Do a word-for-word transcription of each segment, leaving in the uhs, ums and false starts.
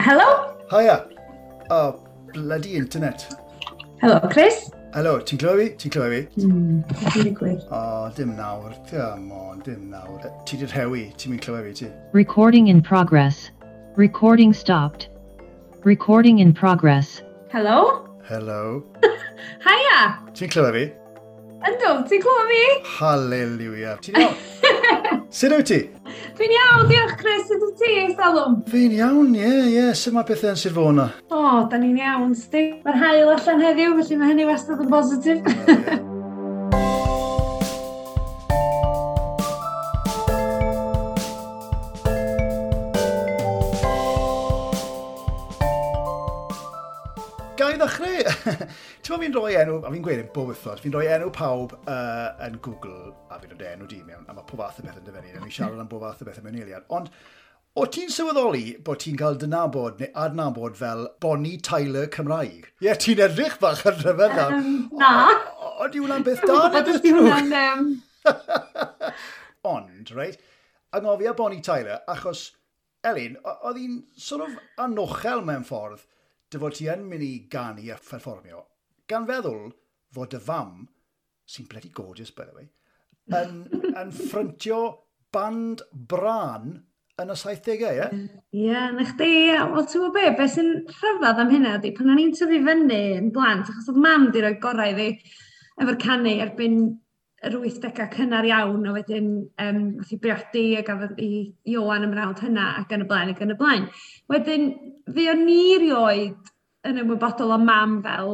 Helo? Hiya. Oh, bloody internet. Helo, Chris. Helo, ti'n clywed fi? Ti'n clywed fi? Hmm, beth sy'n digwydd? O, oh, dim nawr. Come on, dim nawr. Ti 'di rhewi, ti'n mynd clywed fi, ti? Recording in progress. Recording stopped. Recording in progress. Helo? Helo. Hiya! Ti'n clywed fi? Yndw, ti'n clywed fi? Hallelujah. Ti'n iawn? Sut wyt ti? Dwi'n iawn, diolch Chris, sut wyt ti, Salwm? Fi'n iawn, ie, yeah, ie. Yeah. Sut mae pethau yn Sir Fôn na? O, oh, da ni'n iawn, sti. Mae'r haul allan heddiw, felly mae hynny wastad yn bositif. Wel, ie. Ga i ddechrau? Ti'n meddwl fi'n rhoi enw, a fi'n gweud yn bob wythnos, fi'n rhoi enw pawb uh, yn Google, a fi'n rhoi enw di mewn, a mae pob fath o beth yn dyfynnu, a fi'n siarad am bob fath o beth mewn eiliad. Ond, o ti'n sylweddoli bod ti'n cael dy nabod neu adnabod fel Bonnie Tyler Cymraeg? Ie, yeah, ti'n edrych bach yn rhyfedd nawr. Um, na. Ond yw hwnna'n beth da neu beth drwg? Um... Ond, reit, anghofio Bonnie Tyler, achos, Elin, oedd hi'n sort of anochel mewn ffordd dy fod ti yn mynd i ganu a pherfformio, gan feddwl fod dy fam, sy'n bloody gorgeous, by the way, yn, yn ffryntio band brân yn y saithdegau, ie? Ie, yeah, na chdi, wel ti'n gwybod be, beth sy'n rhyfedd am hynna ydi, pan o'n i'n tyfu fyny yn blant, achos oedd mam di roi gorau i fi efo'r canu erbyn yr wythdegau cynnar iawn, a wedyn um, nath i briodi a gafodd i Ioan ymrawd hynna ac yn y blaen ac yn y blaen. Wedyn, fi o'n i rioed yn ymwybodol o mam fel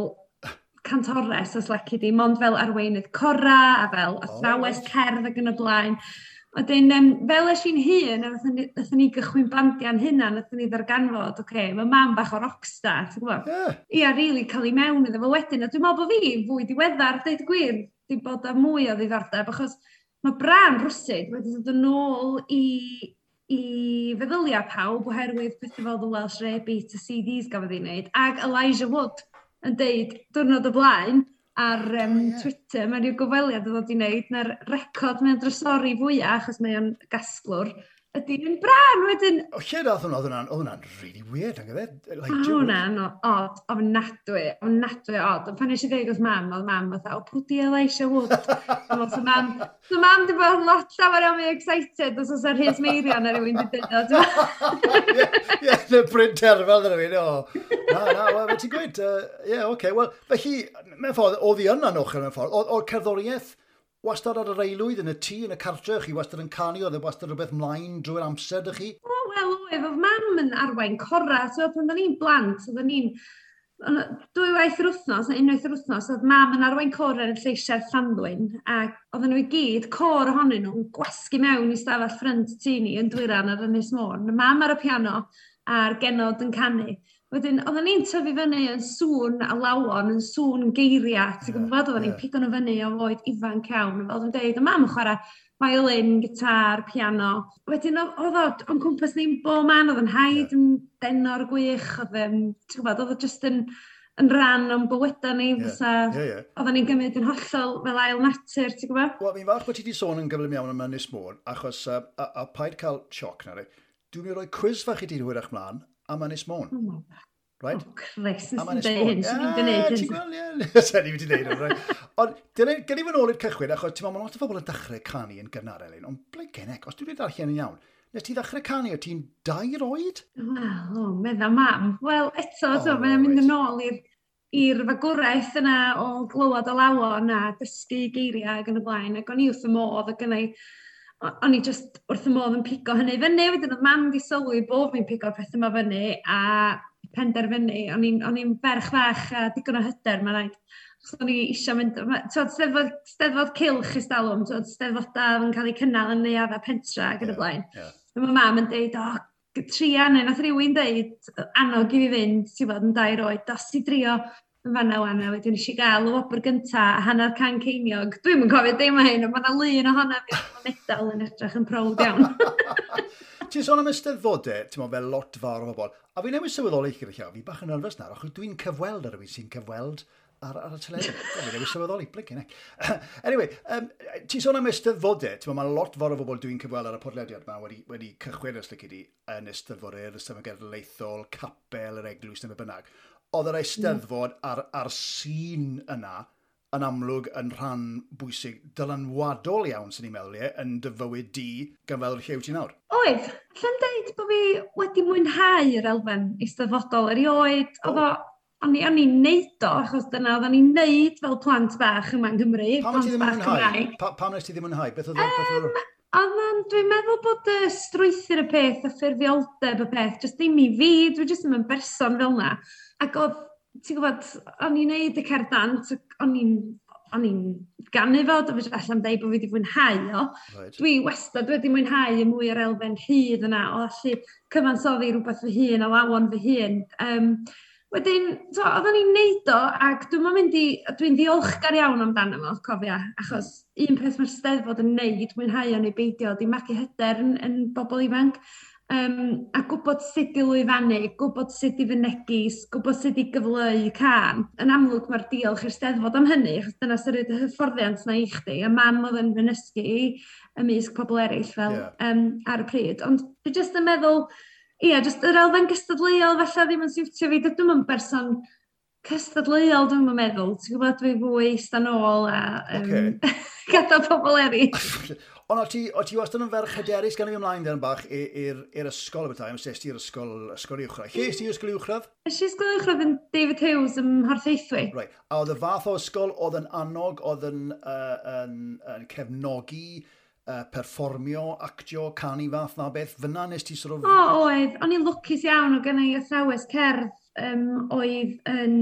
cantores, os leci di, mond fel arweinydd cora a fel athrawes oh, cerdd ac yn y blaen. Wedyn, um, fel es i'n hun, a nathon ni gychwyn bandiau'n hunan, nathon ni ddarganfod, oce, okay, mae mam bach o rockstar, ti'n gwybod? Yeah. Ia, rili cael ei mewn iddo fo wedyn. A dwi'n meddwl bod fi fwy diweddar, deud y gwir, di bod â mwy o ddiddordeb, achos mae brân rwsyd wedi dod yn ôl i, i feddyliau pawb oherwydd pethau fel The Welsh Rare Beat, y C Ds gafodd ei wneud, ag Elijah Wood yn deud diwrnod o blaen ar um, oh, yeah. Twitter, mae rhyw gyfweliad yn ddod i wneud, na'r record mae'n drysori fwyaf, achos mae o'n gasglwr, ydy yn brân wedyn. O, lle dath hwnna? Oedd hwnna'n oedd hwnna'n really weird, nag oedd e? Oedd hwnna'n odd, ofnadwy, ofnadwy odd. Ond pan nes i ddeud wrth mam, oedd mam fatha, o, pwy di Elijah Wood? So mam, so mam di bod lot llawer iawn mwy excited os oes ar Rhys Meirion a rhywun di dweud o. Ie, ie, y Bryn Terfel dyna fi, o. Na, na, wel, ti'n gweud, ie, oce. Wel, felly, mewn ffordd, oedd hi yn anochel mewn ffordd, oedd cerddoriaeth wastad ar yr aelwyd, yn y tŷ, yn y cartre, chi wastad yn canu, oedd e wastad rhywbeth mlaen drwy'r amser, dych chi? O, wel, oedd, oedd mam yn arwain cora, so pan oedden ni'n blant, oedden ni'n dwy waith yr wythnos, neu unwaith yr wythnos, oedd mam yn arwain cora yn lleisiau'r Llanddwyn, ac oedden nhw i gyd, côr ohonyn nhw, yn gwasgu mewn i stafell ffrynt tŷ ni yn Dwyran ar Ynys Môn. Mam ar y piano a'r genod yn canu. Wedyn, oedden ni'n tyfu fyny yn sŵn alawon, yn sŵn geiriau, ti'n gwybod, oedden ni'n pigo nhw fyny o oed ifanc iawn. Fel dwi'n deud, o mam yn chwarae violin, gitar, piano. Wedyn, oedd o o'n cwmpas ni'n bob man, oedd yn haid yn denor gwych, oedd yn, ti'n gwybod, oedd o just yn, yn rhan o'n bywydau ni, fysa, yeah, yeah. Oedden ni'n gymryd yn hollol fel ail natur, ti'n gwybod? Wel, fi'n falch bod ti wedi sôn yn gyflym iawn am Ynys Môn, achos, uh, a, a paid cael sioc na, dwi'n mynd i roi quiz fach i ti hwyrach mlaen am Ynys Môn. Oh, right? Oh, Chris, nes i'n dweud hyn, swn i'n gwneud hyn. Ti'n gweld, ie. Sen i wedi gwneud hyn, right? Ond, gen i fy nôl i'r cychwyn, achos ti'n meddwl, mae lot o bobl yn dechrau canu yn gynnar, Elin, ond ble genec, os dwi wedi darllen yn iawn, nes ti ddechrau canu o ti'n dair oed? Wel, o, medda mam. Wel, eto, oh, mae'n mynd yn ôl i'r i'r fagwraeth yna o glywed alawon a dysgu geiriau ac yn y blaen, ac o'n i wrth y modd, ac yn ei o'n i just wrth y modd yn pigo hynny fyny, wedyn oedd mam di sylwi bod fi'n pigo'r peth yma fyny a penderfynu. O'n i'n o'n i'n ferch fach a digon o hyder, mae'n rhaid. Achos o'n i eisiau mynd, twod, steddfod, steddfod cylch ystalwm, twod, steddfodau yn cael eu cynnal yn neuaddau pentra ac yn y blaen. Yeah. Yeah. Mae mam yn deud, o, tria, neu nath rhywun deud, annog i fi fynd, ti'n bod, yn dair oed, dos i drio yn fanna wan, a wedyn nes i gael y wobr gynta a hanner can ceiniog. Dwi'm yn cofio dim o hyn, ond mae yna lun ohono fi efo medal yn edrych yn prowd iawn. Ti'n sôn am eisteddfodau, ti'n meddwl, fel lot fawr o bobl, a fi newydd sylweddoli gyda llaw, fi bach yn nerfus nawr, achos dwi'n cyfweld ar rhywun sy'n cyfweld ar, ar y teledu. Fi newydd sylweddoli, blinking heck. Anyway, um, ti'n sôn am eisteddfodau, ti'n meddwl, mae lot fawr o bobl dwi'n cyfweld ar y podlediad yma wedi, wedi cychwyn, os lici di, yn eisteddfodau, yr Eisteddfod Genedlaethol, capel, yr eglwys, neu be bynnag. Oedd yr eisteddfod a'r, a'r sîn yna yn amlwg yn rhan bwysig, dylanwadol iawn, sy'n ni'n meddwl, ie, yn dy fywyd di, gan fel lle wyt ti nawr. Oedd, allai'm deud bod fi wedi mwynhau yr elfen eisteddfodol erioed. Oedd o, o'n i, o'n i'n neud o, achos dyna oedden ni'n neud fel plant bach yma yng Nghymru, Pam nes plant ti ddim yn bach mwynhau? Cymraeg. Pa, pam nes ti ddim mwynhau? Beth oedd o? Beth oedd o? Ond um, dwi'n meddwl bod y strwythur y peth, y ffurfioldeb y peth, jyst ddim i fi, dwi jyst ddim yn berson fel 'na. Ac oedd, ti'n gwybod, o'n i'n neud y cerdd dant, ac o'n i'n o'n i'n ganu fo, dwi'n allai'm deud bod fi wedi mwynhau o. Right. Dwi wastad wedi mwynhau y mwy o'r elfen rhydd yna, o allu cyfansoddi rhywbeth fy hun, alawon fy hun. Um, wedyn, so, oedden ni'n neud o, ac dwi'n mynd i, dwi'n ddiolchgar iawn amdano fo, cofia, achos un peth mae'r Steddfod yn neud, mwynhau o neu beidio, di magu hyder yn, yn bobl ifanc. Um, a gwybod sut i lwyfannu, gwybod sut i fynegi, gwybod sut i gyfleu cân. Yn amlwg mae'r diolch i'r Steddfod am hynny, achos dyna sy'n rhaid y hyfforddiant na i chdi. A mam oedd yn fy nysgu i ymysg pobl eraill fel Ie. um, ar y pryd. Ond dwi jyst yn meddwl, ie, jyst yr elfen gystadleuol falle ddim yn siwtio fi. Dydw i'm yn berson cystadleuol, dwi'n meddwl. Ti'n gwybod, dwi fwy ista nôl a um, Ocê. gadael pobl eraill. Ond o ti, o ti wastad yn ferch hyderus gan i fi ymlaen dan bach i- i'r i'r ysgol y bethau, am es ti i'r ysgol, ysgol uwchradd. Lle es ti i'r ysgol uwchradd? Nes i ysgol uwchradd yn David Hughes ym Mhorthaethwy. Right. A oedd y fath o ysgol oedd yn annog, oedd yn, uh, yn, yn cefnogi, uh, perfformio, actio, canu fath na beth, fyna nes ti sort of? O, oedd. O'n i'n lwcus iawn o gynna i athrawes cerdd um, oedd yn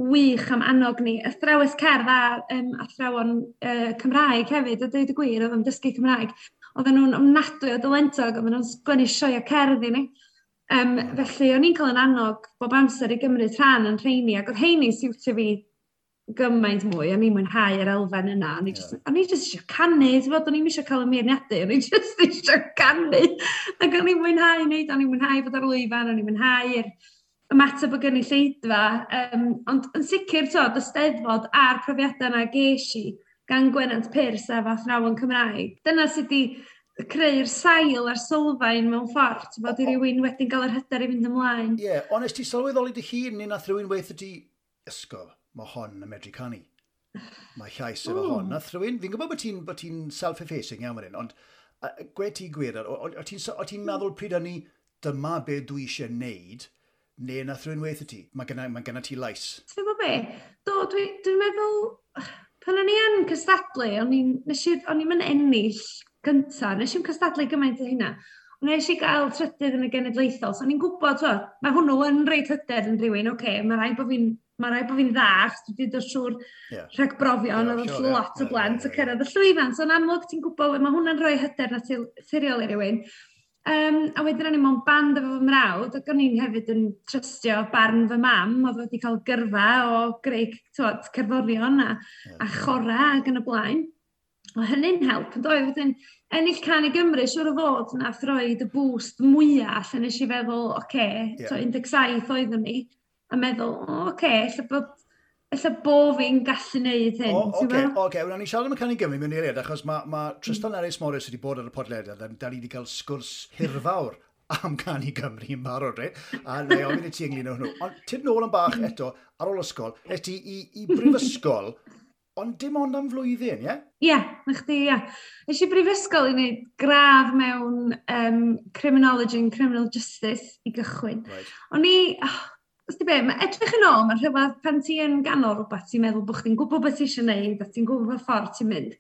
wych am annog ni. Athrawes cerdd a um, athrawon uh, Cymraeg hefyd, a dweud y gwir, oedd yn dysgu Cymraeg. Oedden nhw'n ofnadwy o dalentog, oedden nhw'n sgwennu sioeau cerdd i ni. Um, felly, o'n i'n cael yn annog bob amser i gymryd rhan yn rheini, ac oedd rheini'n siwtio fi gymaint mwy, o'n i'n mwynhau yr elfen yna. O'n i just, o'n i just eisiau canu, ti'n gwbod, o'n i'm eisiau cael y meirniadu, o'n i just eisiau canu. Ac o'n i'n mwynhau wneud, o'n i'n mwynhau bod ar lwyfan, o'n i'n mwynhau'r ymateb o gynulleidfa. Um, ond yn sicr, t'od, y Steddfod a'r profiadau yna ges i gan Gwenant Pyrs a fy athrawon Cymraeg. Dyna sydd wedi creu'r sail a'r sylfaen mewn ffordd, ti'n bod, i rywun wedyn gael yr hyder i fynd ymlaen. Ie, yeah, ond nes ti sylweddoli dy hun neu nath rhywun weithio ti, "Ysgol, mae hon yn medru canu. Mae llais efo Ww. hon." Nath rhywun, fi'n gwybod bod ti'n bod ti'n self-effacing iawn fan hyn, ond uh, gwe ti gwir, o, o, o ti'n o ti'n meddwl pryd hynny, dyma be dwi eisiau neud, neu nath rhywun weithio ti, mae gynna, mae gynna ti lais? Ti'n gwybod be? Do, dwi'n dwi meddwl, pan o'n i yn cystadlu, o'n i'n, nes i, o'n i'm yn ennill gynta, nes i'm cystadlu gymaint o hynna. Ond nes i gael trydydd yn y genedlaethol, so o'n i'n gwybod, t'wo, mae hwnnw yn reit hyder yn rhywun, oce, okay, mae rhaid bod fi'n mae rhaid bod fi'n dda, achos dwi wedi dod trwy'r Ie. rhagbrofion, Ie, oedd sure, ie. lot o Ie, blant ie, yn ie. cyrraedd y llwyfan, so yn amlwg ti'n gwybod, mae hwnna'n rhoi hyder naturiol i rywun. Um, a wedyn o'n i mewn band efo fy mrawd, ac o'n i'n hefyd yn trystio barn fy mam, oedd wedi cael gyrfa o greu, t'wod, cerddorion a, Ie. a chora ac yn y blaen. O hynny'n help, yn doedd? Wedyn, ennill Cân i Gymru, siŵr o fod, nath roed y boost mwyaf, lle nes i feddwl, oce, okay, Ie. yeah. un deg saith oeddwn i, a meddwl, o, oce, okay, ella bod, ella bo fi'n gallu neud hyn. O, ti'n oce, gwbod? oce. Wel, ni siarad am y Cân i Gymru mewn eiliad, achos mae ma Tristan Ellis Morris wedi bod ar y podlediad, a da ni wedi cael sgwrs hirfawr am Cân i Gymru yn barod, reit? A na i ofyn i ti ynglyn â hwnnw. Ond tyd nôl yn bach eto, ar ôl ysgol, es ti i, i brifysgol, ond dim ond am flwyddyn, ie? Ie, na chdi, ie. Nes i brifysgol i wneud gradd mewn um, Criminology and Criminal Justice i gychwyn. Right. O'n i, oh, os di be, mae edrych yn ôl, mae'n rhyfedd pan ti yn ganol rhywbeth, ti'n meddwl bod chdi'n gwybod beth ti eisiau gwneud a ti'n gwybod pa ffordd ti'n mynd.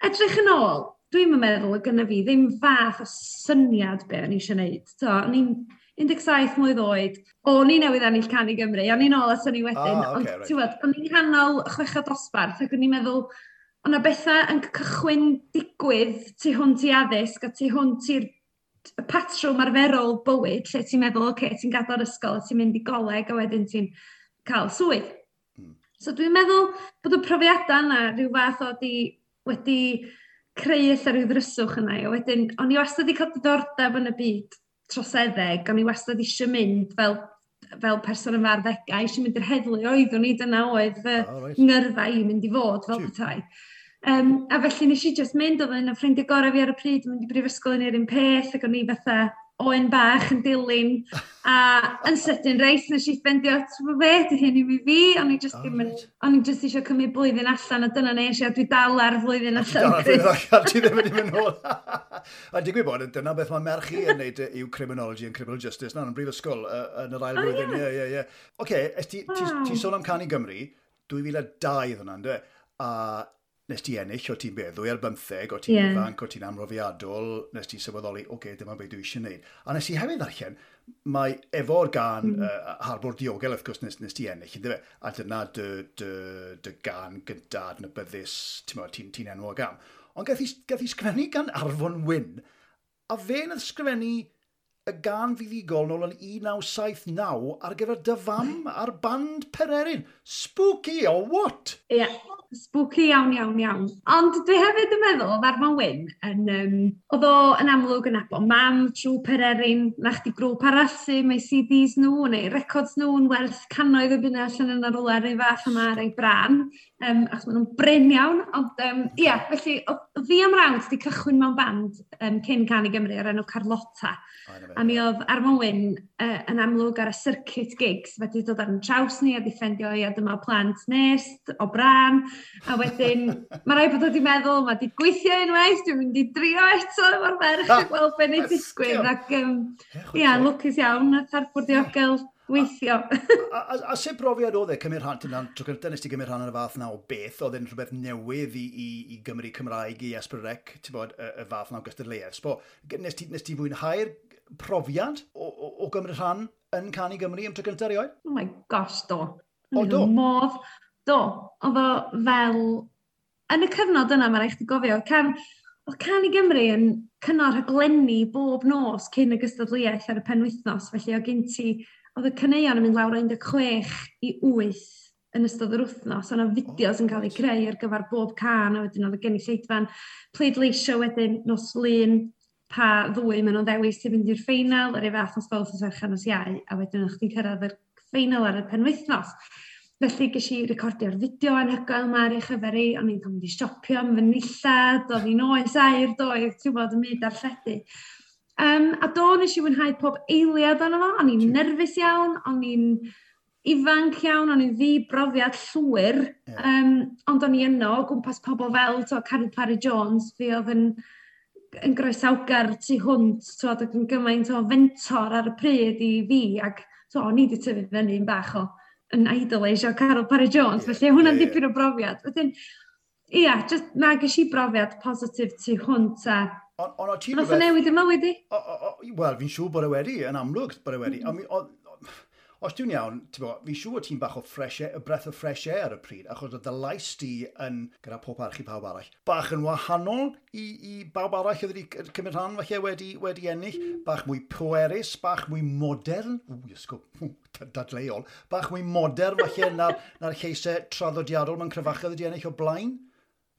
Edrych yn ôl, dwi'n meddwl o gynna fi ddim fath o syniad be o'n i eisiau gwneud. So, o'n i'n un deg saith mlwydd oed, o'n i newydd ennill Cân i Gymru, o'n i'n ôl at hynny wedyn, Ah, ond ocê, reit. ti'n gwbod, o'n i'n nghanol chweched dosbarth ac o'n i'n meddwl, o'na bethau yn cychwyn digwydd tu hwnt i addysg a tu hwnt i'r y patrwm arferol bywyd lle ti'n meddwl, oce, okay, ti'n gadael ysgol a ti'n mynd i goleg a wedyn ti'n cael swydd. Mm. So dwi'n meddwl bod y profiadau yna rhyw fath o di, wedi creu ella rhyw ddryswch yna. A wedyn, o'n i wastad wedi cael diddordeb yn y byd troseddeg, o'n i wastad eisiau mynd fel, fel person yn fy arddegau, eisiau mynd i'r heddlu oeddwn i, dyna oedd fy oh, right. ngyrfa i mynd i fod fel petai. Um, a felly nes i just mynd, oedd un o ffrindiau gorau fi ar y pryd, yn mynd i brifysgol yn yr un peth, ac o'n i fatha oen bach yn dilyn, a yn sydyn reit, nes i ffendio, ti'n be, di hyn i fi fi, o'n i just Oh, ddim yn, reit. o'n i just eisiau cymryd blwyddyn allan, a dyna nes i, a dwi dal ar flwyddyn allan. Dal ar flwyddyn allan, ti ddim wedi mynd nôl. A digwydd bod, dyna beth mae merch i yn neud yw criminology and criminal justice, na, yn brifysgol, uh, yn yr ail O, flwyddyn. ie. Ie, ie, ie. Oce, es ti, ti, Waw. ti sôn am Cân i Gymru, dwy fil a dau oedd hwnna, ynddo? A nes ti ennill, o ti'n beth, ddwy ar bymtheg, o ti'n Ie. ifanc, o ti'n amrofiadol, nes ti sylweddoli, oce, okay, dyma beth dwi eisiau gwneud. A nes i hefyd ddarllen, mae efo'r gan mm. uh, Harbwr Diogel, wrth gwrs, nes, nes ti ennill, ynddo fe? A dyna dy, dy, dy gan gynta adnabyddus, ti'n ti'n ti enwog am. Ond gath i, gath i sgrifennu gan Arfon Wyn, a fe nath sgrifennu y gan fuddugol nôl yn un naw saith naw ar gyfer dy fam ar band Pererin. Spooky or what? Ie, yeah, spooky iawn, iawn, iawn. Ond dwi hefyd yn meddwl, oedd Arfon Wyn, yn, um, oedd o yn amlwg yn nabod mam trwy Pererin, na chdi grŵp arall sy'n mae C Ds nhw neu records nhw yn werth cannoedd o bunna allan yn rwle rhyw fath yma ar ei brân, um, achos maen nhw'n brin iawn. Ond um, ia, felly, oedd fi a'm mrawd wedi cychwyn mewn band um, cyn Cân i Gymru o'r enw Carlotta. A mi oedd Arfon Wyn uh, yn amlwg ar y circuit gigs, wedi dod ar yn traws ni a di ffendio ia dyma plant Nest o Brân. A wedyn, mae rhaid bod wedi meddwl, mae wedi gweithio unwaith, dwi'n mynd i drio eto efo'r ferch a gweld beth wneud digwydd. Ac um, ia, lwcus iawn, nath Harbwr Diogel weithio. A, a, a sut brofiad oedd e cymryd rhan, dyna tro cyntaf nes ti gymryd rhan yn y fath na o beth, oedd e'n rhywbeth newydd i, i, i Gymru Cymraeg, i S pedwar C, ti'n bod, y, y fath na o gystadleuaeth. Sbo, nes ti, nes ti fwynhau'r profiad o, o, o gymryd rhan yn Cân i Gymru am tro cyntaf erioed? Oh my gosh, do. O, do? Modd, do. Oedd o fel... Yn y cyfnod yna, mae rhaid chdi gofio, can, oedd Cân i Gymru yn cynnal rhaglenni bob nos cyn y gystadleuaeth ar y penwythnos. Felly oedd gen ti, oedd y caneuon yn mynd lawr o un deg chwech i wyth yn ystod yr wythnos. O'na fideos yn cael eu creu ar gyfer bob can, a wedyn oedd y gynulleidfa'n pleidleisio wedyn nos Lun pa ddwy maen nhw'n ddewis i fynd i'r ffeinal, yr un fath nos Fawrth, nos Fercher, nos Iau, a wedyn o'ch chdi'n cyrraedd yr ffeinal ar y penwythnos. Felly ges i recordio'r fideo anhygoel yma ar ei chyfer i, o'n i'n cael mynd i siopio am fy nillad, oedd hi'n oes aur doedd, ti'n bod yn mynd darlledu. Um, a do, nes i fwynhau pob eiliad ono fo, o'n i'n nerfus iawn, o'n i'n ifanc iawn, o'n i'n ddi-brofiad llwyr, Ie. um, ond o'n i yno o gwmpas pobl fel to, Caryl Parry Jones, fi oedd yn, yn groesawgar tu hwnt, twod, ac yn gymaint o fentor ar y pryd i fi, ac to, o'n i wedi tyfu fyny'n bach o yn idolisio Caryl Parry Jones, Ie, felly hwnna'n ie, ie. dipyn o brofiad. Wedyn, ia, just na ges i brofiad positif tu hwnt a Ond on, o ti nath o newid y mywyd i. O, o, o, Wel, fi'n siŵr bod e wedi, yn amlwg bod e wedi. Mm. O, o, os dwi'n iawn, ti'n bo, fi'n siŵr bod ti'n bach o fresh air, y breath of fresh air ar y pryd, achos oedd dy lais di yn, gyda pob parch i pawb arall, bach yn wahanol i, i bawb arall oedd wedi cymryd rhan falle wedi, wedi ennill, bach mwy pwerus, bach mwy modern, ww, ysgo, dadleuol, bach mwy modern falle na'r, na'r lleisau traddodiadol mewn cryfachau oedd wedi ennill o blaen.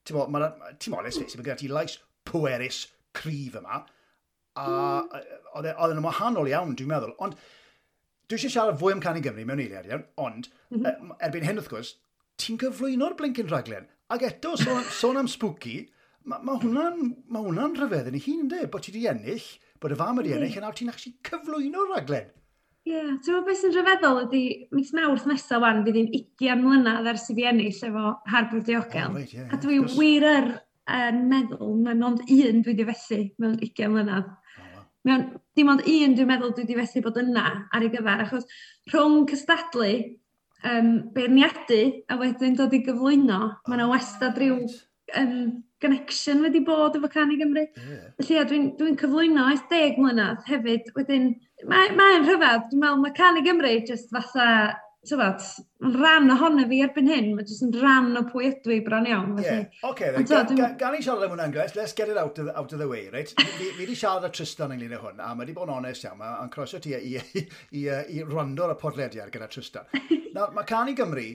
Ti'n bo, ma' ti'n bo, let's face it, mae gyda ti lais pwerus, cryf yma, a oedd e- oedd e'n wahanol iawn, dwi'n meddwl. Ond dwi eisiau siarad fwy am Cân i Gymru mewn eiliad iawn, ond mm -hmm. erbyn hyn wrth gwrs, ti'n cyflwyno'r blincyn rhaglen. Ac eto, sôn, sôn am spooky, mae ma hwnna'n ma hwnna rhyfedd yn ei hun, yndê? Bod ti wedi ennill, bod y fam wedi ennill, a nawr ti'n actually cyflwyno'r rhaglen. Ie, yeah, ti'n meddwl beth sy'n rhyfeddol ydy mis Mawrth nesaf wan fydd hi'n ugain mlynedd ers i fi ennill efo Harbwr Diogel. Oh, reit, ie, A dwi wrth gwrs. wir yr yn meddwl, mae mond un dwi wedi fethu mewn ugain mlynedd. Oh, wow. Mewn, dim ond un dwi'n meddwl dwi wedi fethu bod yna ar ei gyfer, achos rhwng cystadlu, um, beirniadu, a wedyn dod i gyflwyno, mae yna wastad rhyw Reit. um, connection wedi bod efo Cân i Gymru. Ie. Felly ia, dwi'n dwi cyflwyno ers deg mlynedd hefyd. Wedyn, mae'n mae rhyfedd. Dwi'n meddwl mae Cân i Gymru just fatha, tywod, mae'n rhan ohono fi erbyn hyn. Mae jyst yn rhan o pwy ydw i bron iawn. Ie, Felly. oce, then. Ond t'wo, Ga- dwi'n- ga- Gan i siarad am hwnna'n Gles, let's get it out of the, out of the way, right? Fi, fi wedi siarad â Tristan ynglyn â hwn, a mae wedi bod yn onest iawn, mae'n croeso ti i, i, i, i, i wrando ar y podlediad gyda Tristan. Nawr, mae Cân i Gymru,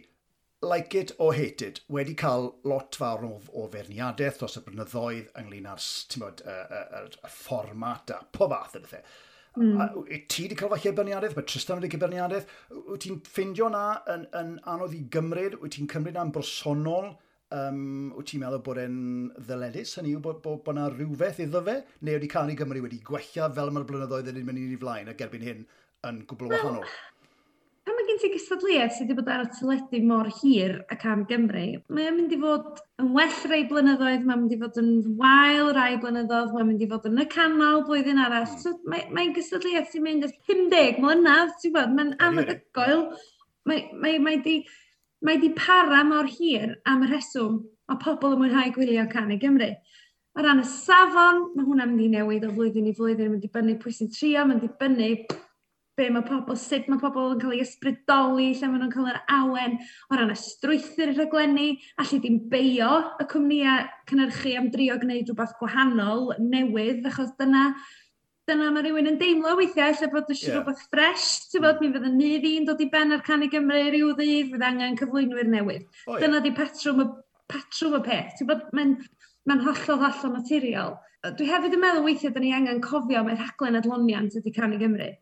like it or hate it, wedi cael lot fawr o, o feirniadaeth dros y blynyddoedd ynglyn â'r, ti'n bod, y, y, y, y fformat a pob fath o bethau. Mm. A, wyt ti wedi cael falle beirniadaeth? Mae Tristan wedi cael beirniadaeth. Wyt ti'n ffindio na yn, yn anodd i gymryd? Wyt ti'n cymryd na'n bersonol? Um, wyt ti'n meddwl bod e'n ddyledus? Hynny yw bod, bod, bod na rhywbeth iddo fe? Neu wedi Cân i Gymru wedi gwella fel mae'r blynyddoedd yn mynd i flaen ac erbyn hyn yn gwbl wahanol? Pan mae gen ti gystadleuaeth sydd wedi bod ar y teledu mor hir a Cân Gymru, mae'n mynd i fod yn well rai blynyddoedd, mae'n mynd i fod yn wael rai blynyddoedd, mae'n mynd i fod yn y canol blwyddyn arall. Mm. So mae'n mae gystadleuaeth sy'n mynd ers pum deg mlynedd, ti'n gwybod, mae'n anhygoel. Mae, mae, mae, di, mae di para mor hir am y rheswm mae pobl yn mwynhau gwylio Cân i Gymru. O ran y safon, mae hwnna'n mynd i newid o flwyddyn i flwyddyn, mae'n dibynnu pwy sy'n trio, mae'n dibynnu be mae pobl, sut mae pobl yn cael ei ysbrydoli, lle maen nhw'n cael yr awen, o ran y strwythur y rhaglenni, allu dim beio y cwmnïau cynhyrchu am drio gwneud rhywbeth gwahanol, newydd, achos dyna, dyna mae rhywun yn deimlo weithiau, lle bod eisiau yeah. rhywbeth ffresh, ti'n bod, mi fydd y nydd i'n dod i ben ar Cân i Gymru rhyw ddydd, fydd angen cyflwynwyr newydd. Oh, yeah. Dyna di patrwm y, patrwm y peth. Ti'n bod, mae'n mae'n hollol, hollol naturiol. Dwi hefyd yn meddwl weithiau da ni angen cofio mae rhaglen adloniant ydy Cân i Gymru.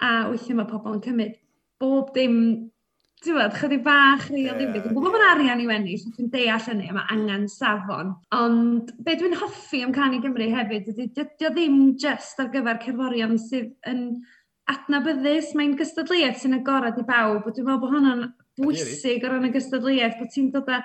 A weithiau mae pobl yn cymryd bob dim, ti'n gwybod, chydig bach rhy o ddifri. Dwi'n gwybod bod arian i'w ennill, dwi'n deall hynny, a mae angen safon. Ond be dwi'n hoffi am Cân i Gymru hefyd, ydy, dydy o ddim just ar gyfer cerddorion sydd yn adnabyddus, mae'n gystadleuaeth sy'n agorad i bawb, a dwi'n meddwl bod hwnna'n bwysig o ran y gystadleuaeth, bod ti'n dod â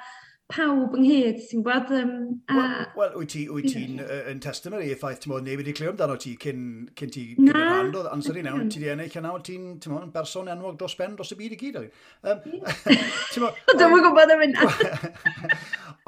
pawb ynghyd, ti'n gwybod? Um, a... Wel, well, wyt ti, wyt ti'n uh, yn testimony i'r ffaith, ti'n modd, neb wedi clywed amdano ti cyn, cyn ti gymryd rhan, oedd amser i nawr, ti di ennill a nawr ti'n, ti'n modd, berson enwog dros ben dros y byd i gyd. Um, ti'n modd, Dwi'm yn gwybod am hynna.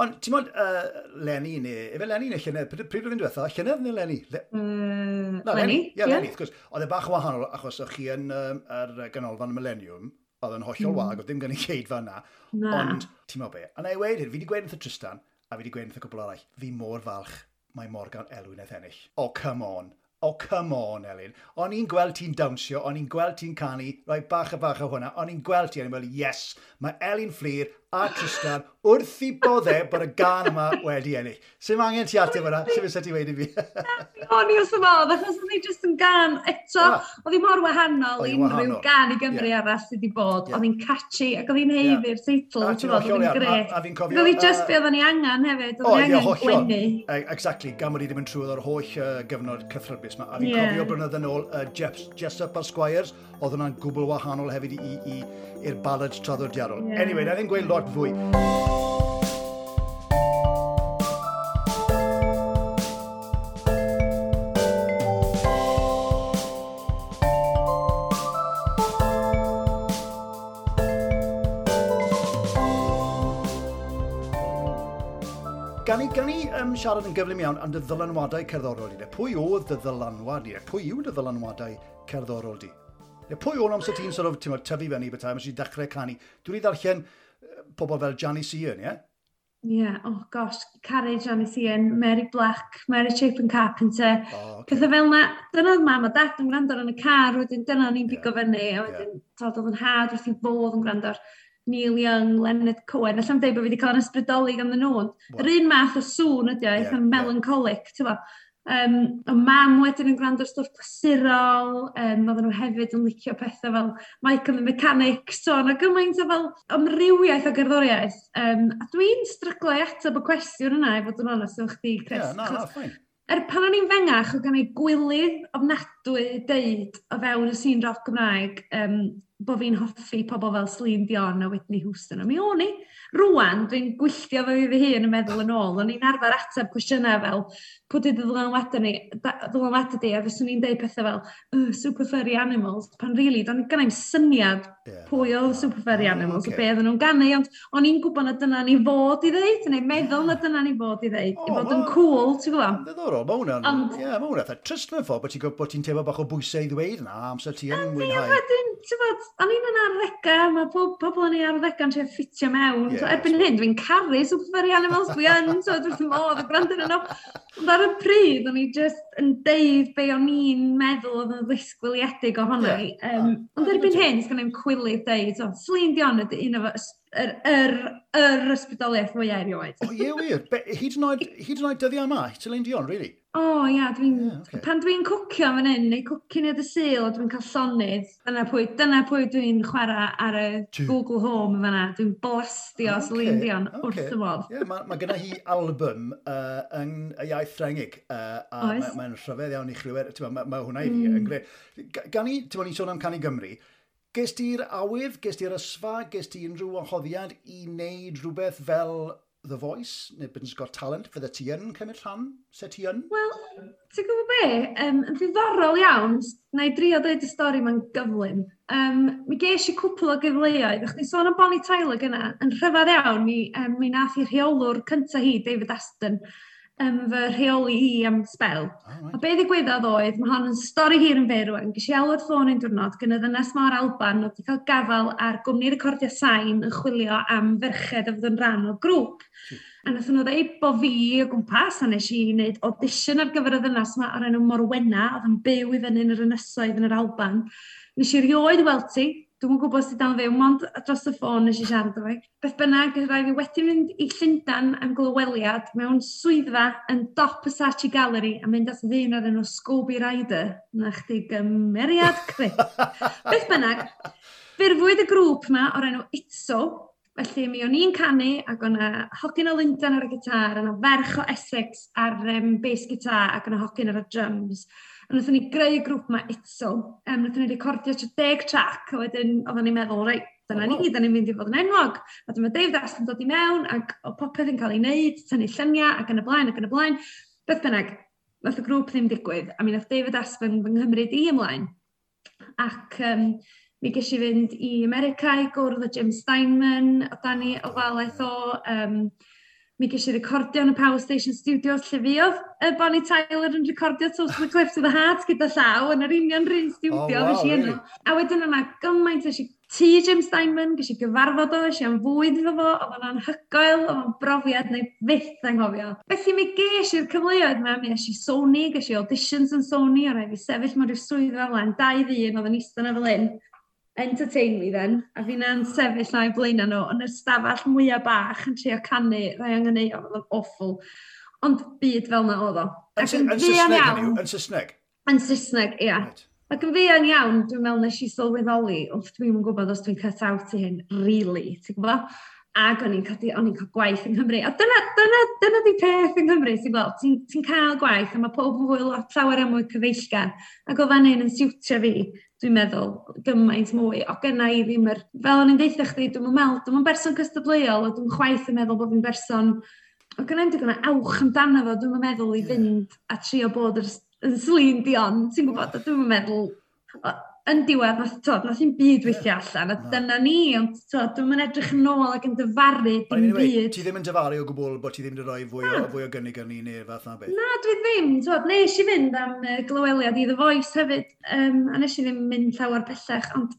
Ond, ti'n modd, uh, Leni neu, efe Leni neu llynedd, pryd pryd oedd yn diwetha, llynedd neu Leni? Le, Uh, na, Leni, Ie, yeah, Leni, wrth gwrs. Oedd e bach yn wahanol, achos o'ch chi yn um, yr ganolfan Millennium, oedd yn hollol mm. wag, oedd ddim gynulleidfa yna. Na. Ond, ti'n meddwl be, a na i weud hyn, fi wedi gweud wrth y Tristan, a fi wedi gweud wrth y cwbl arall, fi mor falch mae Morgan Elwyn wnaeth ennill. Oh, come on. Oh, come on, Elin. O'n i'n gweld ti'n dawnsio, o'n i'n gweld ti'n canu, rhoi bach a bach o hwnna, o'n i'n gweld ti, o'n i'n meddwl, yes, mae Elin Fflur a Tristan wrth i bodde bod y gan yma wedi ennill. Sim angen ti ateb hwnna, sim eisiau ti weud i fi? O'n i wrth fy modd, achos oedd hi jyst yn gan eto, Ah. oedd hi mor wahanol Oedd i hi'n unrhyw wahanol. gan i Gymru Ie. arall sydd wedi bod. Ie. Oedd hi'n catchy ac oedd hi'n haeddu'r teitl, A ti'n ti'n bod, oedd hollol hi'n iawn, gret. a- a fi'n cofio, Oedd hi just yy, be oedden ni angen hefyd, O, oedd ie, ni angen hollol. gwenu. E- Exactly, gan bod i ddim yn trwy o'r holl uh, gyfnod cythryblus yma. A fi'n Ie. cofio blynyddoedd yn ôl, uh, Jeff, Jessup a'r Squires, oedd hwnna'n gwbl wahanol hefyd i, i, i'r ballad traddodiadol. Ie. Anyway, na ddim gweud lot fwy. Gan i, gan i um, siarad yn gyflym iawn am dy ddylanwadau cerddorol di? De? Pwy oedd dy ddylanwad di? Pwy yw dy ddylanwadau cerddorol di? De, pwy o'n amser ti'n sort of, ti'n meddwl, tyfu fyny bethau, amser ti'n dechrau canu? Dwi wedi ddarllen yy, pobl fel Janis Ian, ie? Ie, oh gosh, caru Janis Ian, Mary Black, Mary Chapin Carpenter. O, ocê. Pethau fel na, dyna oedd mam a dad yn gwrando ar yn y car, wedyn dyna o'n i'n Ie. pigo fyny, a wedyn, yeah. oedd yn nhad wrth i fodd yn gwrando ar Neil Young, Leonard Cohen, allai'm dweud bod fi wedi cael yn ysbrydoli gan nhw, ond Wel. yr un math o sŵn ydi o, eitha Ie, ie. melancholic, ti'n bo. Um, o mam wedyn yn gwrando ar stwff clasurol, um, oedden nhw hefyd yn licio pethau fel Mike and the Mechanics, so yna gymaint o fel amrywiaeth o gerddoriaeth. Um, a dwi'n stryglo i ateb y cwestiwn yna, i fod yn onest efo chdi, Chris. Ie, na, na, achos fine. Er pan o'n i'n fengach, oedd gen i gwilydd ofnadwy deud o fewn y sîn roc Gymraeg um, bod fi'n hoffi pobl fel Celine Dion a Whitney Houston. A mi o'n i. Rwan, dwi'n gwylltio fo fi fy hun yn meddwl yn ôl. O'n i'n arfer ateb cwestiynau fel, pwy di dy ddylanwadau ni, da- ddylanwadau di, a fyswn i'n deud pethau fel, uh, Super Furry Animals, pan really, do'n gynna i'm syniad Ie, pwy na, oedd na. Super Furry Ah, Animals, ocê. a be oedden nhw'n ganu, ond o'n i'n gwybod na dyna ni fod i ddeud, neu meddwl na dyna ni fod i ddeud, O, i fod yn ma- cool, ti'n gwybod? Ddiddorol, mae hwnna'n... Ond- Ie, mae hwnna'n eitha trist mewn ffordd, bod ti'n bod ti'n teimlo bach o bwysau i ddweud na, amser ti yn Ie, mwynhau. wedyn, ti'n bod, o'n i'n yn arddegau, mae pob pobl yn ei arddegau'n trio ffitio mewn. Ie, So, erbyn hyn, dwi'n caru Super Furry Animals, dwi yn, so dwi wrth fy modd yn gwrando arnyn nhw. Ond ar y pryd, o'n i just yn deud be o'n i'n meddwl oedd yn ddisgwyliedig ohono i. Ie, Um, na, ond na, erbyn dim hyn, sgan i'm cwilydd deud, so, Celine Dion ydy un o fy yr, yr, yr ysbrydoliaeth mwyaf erioed. O ie, wir. Hyd yn oed, hyd yn oed dyddiau yma, Celine Dion, really? O oh, ia, dwi'n... Yeah, okay. Pan dwi'n cwcio fan hyn, neu cwcio neu dy Sul, a dwi'n cael llonydd, dyna pwy, dyna pwy dwi'n chwarae ar y Two. Google Home fan'na. Dwi'n blastio okay, Celine Dion okay. wrth y modd. Ie, yeah, mae ma gyda hi album uh, yn y iaith Ffrengig, uh, a mae'n ma rhyfedd iawn i chlywed. Mae ma hwnna i fi mm. yn gret. Gan i, ti'n ni'n sôn am Cân i Gymru, ges ti'r awydd, ges ti'r ysfa, ges ti unrhyw wahoddiad i wneud rhywbeth fel The Voice neu Britain's Got Talent? Fydde ti yn cymryd rhan? Se ti yn? Wel, ti'n gwybod be? Um, yn ddiddorol iawn, na i drio dweud y stori ma'n gyflym. Um, mi ges i cwpl o gyfleoedd. O'ch ti'n sôn am Bonnie Tyler gyna, yn rhyfedd iawn, mi, um, mi nath i rheolwr cyntaf hi, David Aston, um, fy rheoli i am sbel. Oh, right. A be ddigwyddodd oedd, mae hon yn stori hir yn fyr rwan, ges i alwad ffôn un diwrnod gyda ddynes mor Alban oedd wedi cael gafael ar gwmni recordio sain yn chwilio am ferched a fydd yn rhan o grŵp. A nath nhw ddeud bo fi o gwmpas, a nes i wneud audition ar gyfer y ddynes yma o'r enw Morwenna, oedd yn byw i fyny yn yr ynysoedd yn yr Alban. Nes i rioed weld ti, dwi'n gwybod sydd dal fyw, mond dros y ffôn nes i siarad efo fi. Beth bynnag, rhaid fi wedi mynd i Llundain am glyweliad mewn swyddfa yn dop y Saatchi Gallery a mynd at ddyn o'r enw Scooby Ryder. Na chdi gymeriad crip. Beth bynnag, ffurfwyd y grŵp yma o'r enw Itso. Felly mi o'n i'n canu ac o'na hogyn o Lundain ar y gitar, o'na ferch o Essex ar um, bass guitar ac o'na hogyn ar y drums. A wnaethon ni greu y grŵp yma Itso. Um, wnaethon ni recordio tua deg track, a wedyn oedden ni'n meddwl, reit, dyna ni, oh. da ni'n mynd i fod yn enwog. A dyma David Aston dod i mewn, ac o popeth yn cael ei wneud, tynnu lluniau, ac yn y blaen, ac yn y blaen. Beth bynnag, nath y grŵp ddim digwydd, a mi nath David Aston fy nghymryd i ymlaen. Ac um, mi ges i fynd i America i gwrdd â Jim Steinman, o dan ei ofalaeth o. Um, mi ges i recordio yn y Power Station Studios lle fuodd y Bonnie Tyler yn recordio Total Eclipse of the Heart gyda llaw yn yr union run studio. Oh, wow, nes i yno. Really? A wedyn yna gymaint, nes i tŷ Jim Steinman, ges i gyfarfod o, nes i am fwyd efo fo, oedd o'n anhygoel, oedd o'n brofiad neu fyth anghofio. Felly mi ges i'r cyfleoedd yma, mi es i Sony, ges i auditions yn Sony, a rhaid fi sefyll mewn rhyw swyddfa fel 'na, dau ddyn oedd yn eistedd yna fel hyn. Entertain me then, a fi'na'n sefyll na i blaen nhw yn y stafell mwyaf bach yn trio canu rai angen ei, oedd o'n awful. Ond byd fel na oedd o. Yn, Ac yn yn fuan Saesneg, iawn, hynny yw? Yn Saesneg? Yn Saesneg, ia. Right. Ac yn fuan iawn, dwi'n meddwl nes i sylweddoli, wrth dwi'n yn gwybod os dwi'n cut out i hyn, really, ti'n gwybod? Ac o'n i'n cael, o'n i'n cael gwaith yng Nghymru. A dyna, dyna, dyna di peth yng Nghymru, ti'n gweld, ti'n ti cael gwaith, a mae pob yn fwy lot llawer am mwy cyfeillgar. Ac oedd hynny'n yn siwtio fi, dwi'n meddwl, gymaint mwy. O gynna i ddim yr... Fel o'n i'n deutha chdi, dwi'n meddwl, dwi'n berson cystadleuol, a dwi'n chwaith yn meddwl bod fi'n berson... O gynna i'm digon o awch amdano fo, dwi'n meddwl i fynd a trio bod yr, yn Celine Dion, ti'n gwybod, a dwi'n meddwl... o- Yn diwedd, nath, t'od, nath i'm byd weithio allan, a Na. dyna ni, ond t'od, dwi'm yn edrych yn ôl ac yn dyfaru Ond dim anyway, byd. ti ddim yn dyfaru o gwbl bod ti ddim wedi rhoi fwy o, fwy o gynnig arni neu fath na beth? Na, dwi ddim, t'od, nes i fynd am uh, glyweliad i The Voice hefyd, um, a nes i ddim mynd llawer pellach, ond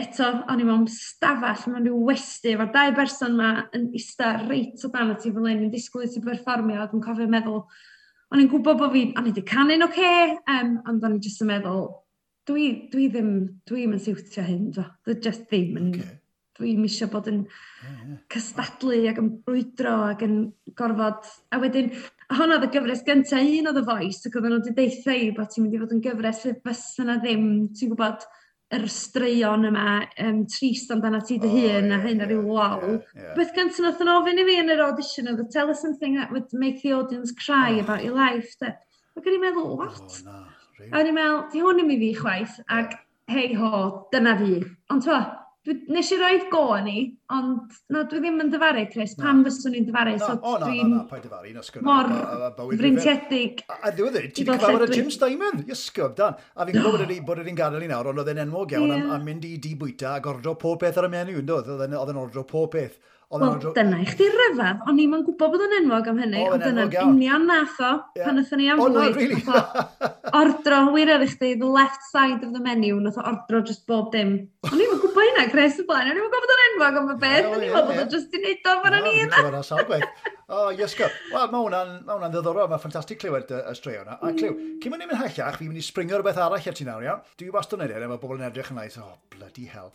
eto, o'n i mewn stafell, mewn rhyw westy, efo'r dau berson ma yn ista reit o dan ti fel hyn, yn disgwyl i ti berfformio, a dwi'n cofio meddwl, o'n i'n gwybod bod fi, o'n i wedi canu'n oce, um, ond o'n i jyst yn meddwl, dwi, dwi ddim, dwi'm yn siwtio hyn, dwi, dwi just ddim yn, Okay. dwi'm eisiau bod yn Yeah, yeah. cystadlu ac yn brwydro ac yn gorfod... A wedyn, hon oedd y gyfres gyntaf un o The Voice, ac oedden nhw wedi deutha i bod ti'n mynd i fod yn gyfres lle fysa na ddim, ti'n gwybod, yr straeon yma, um, trist amdano ti dy Oh, hun a ie, hyn a ie, ryw lol. ie, ie. Beth gyntaf nath yn ofyn i fi yn yr audition oedd, "Tell us something that would make the audience cry Oh. about your life." De. Ac o'n i'n meddwl, what? Oh, na, really? A o'n i'n meddwl, di hwn ddim i fi chwaith, ac hei ho, dyna fi. Ond t'wo, dwi, nes i roed go ni, ond na, dwi ddim yn dyfaru, Chris. Na. Pam fyswn i'n dyfaru? Na, So o, na, na, dwi'n na, paid dyfaru, na sgwrdd. mor freintiedig. A, a ddiwedd, ti i wedi fod cyfarfod lle â dwi- Jim Steinman, Iesgob, dan. A fi'n gwybod bod bod e'n gadael i nawr, ond oedd e'n enwog iawn am, Ie. am mynd i di bwyta ac ordro pob peth ar y menu, yn doedd? Oedd e'n oedd e'n ordro pob peth. Oedd e'n Wel, ordro... dyna i chdi ryfedd, o'n i'm yn gwybod bod o'n enwog am hynny, O, ond yn dyna'n enwog iawn. union nath o, Ie. pan nathon ni am O, na, fwyd. really? Nath o ordro, wir ar i chdi, the left side of the menu, nath o ordro just bob dim. O'n i'm yn gwybod hynna, Chris, y blaen, o'n i'm yn gwybod bod o'n enwog am y beth, Ie, o'n ie, i'n meddwl bod ie. o just i neud o fan Na, o'n i fi'n yna. clywed ar sawl gwaith. O, Iesgob. Wel, mae hwnna'n ma hwnna'n ddiddorol. Mae'n ffantastig clywed y, y straeon yna. A clyw, cyn mynd i'n mynd hellach, fi'n mynd i springo rhywbeth arall ar ti nawr, iawn? Dwi wastad yn neud e, mae bobl yn edrych yn like, "Oh, bloody hell."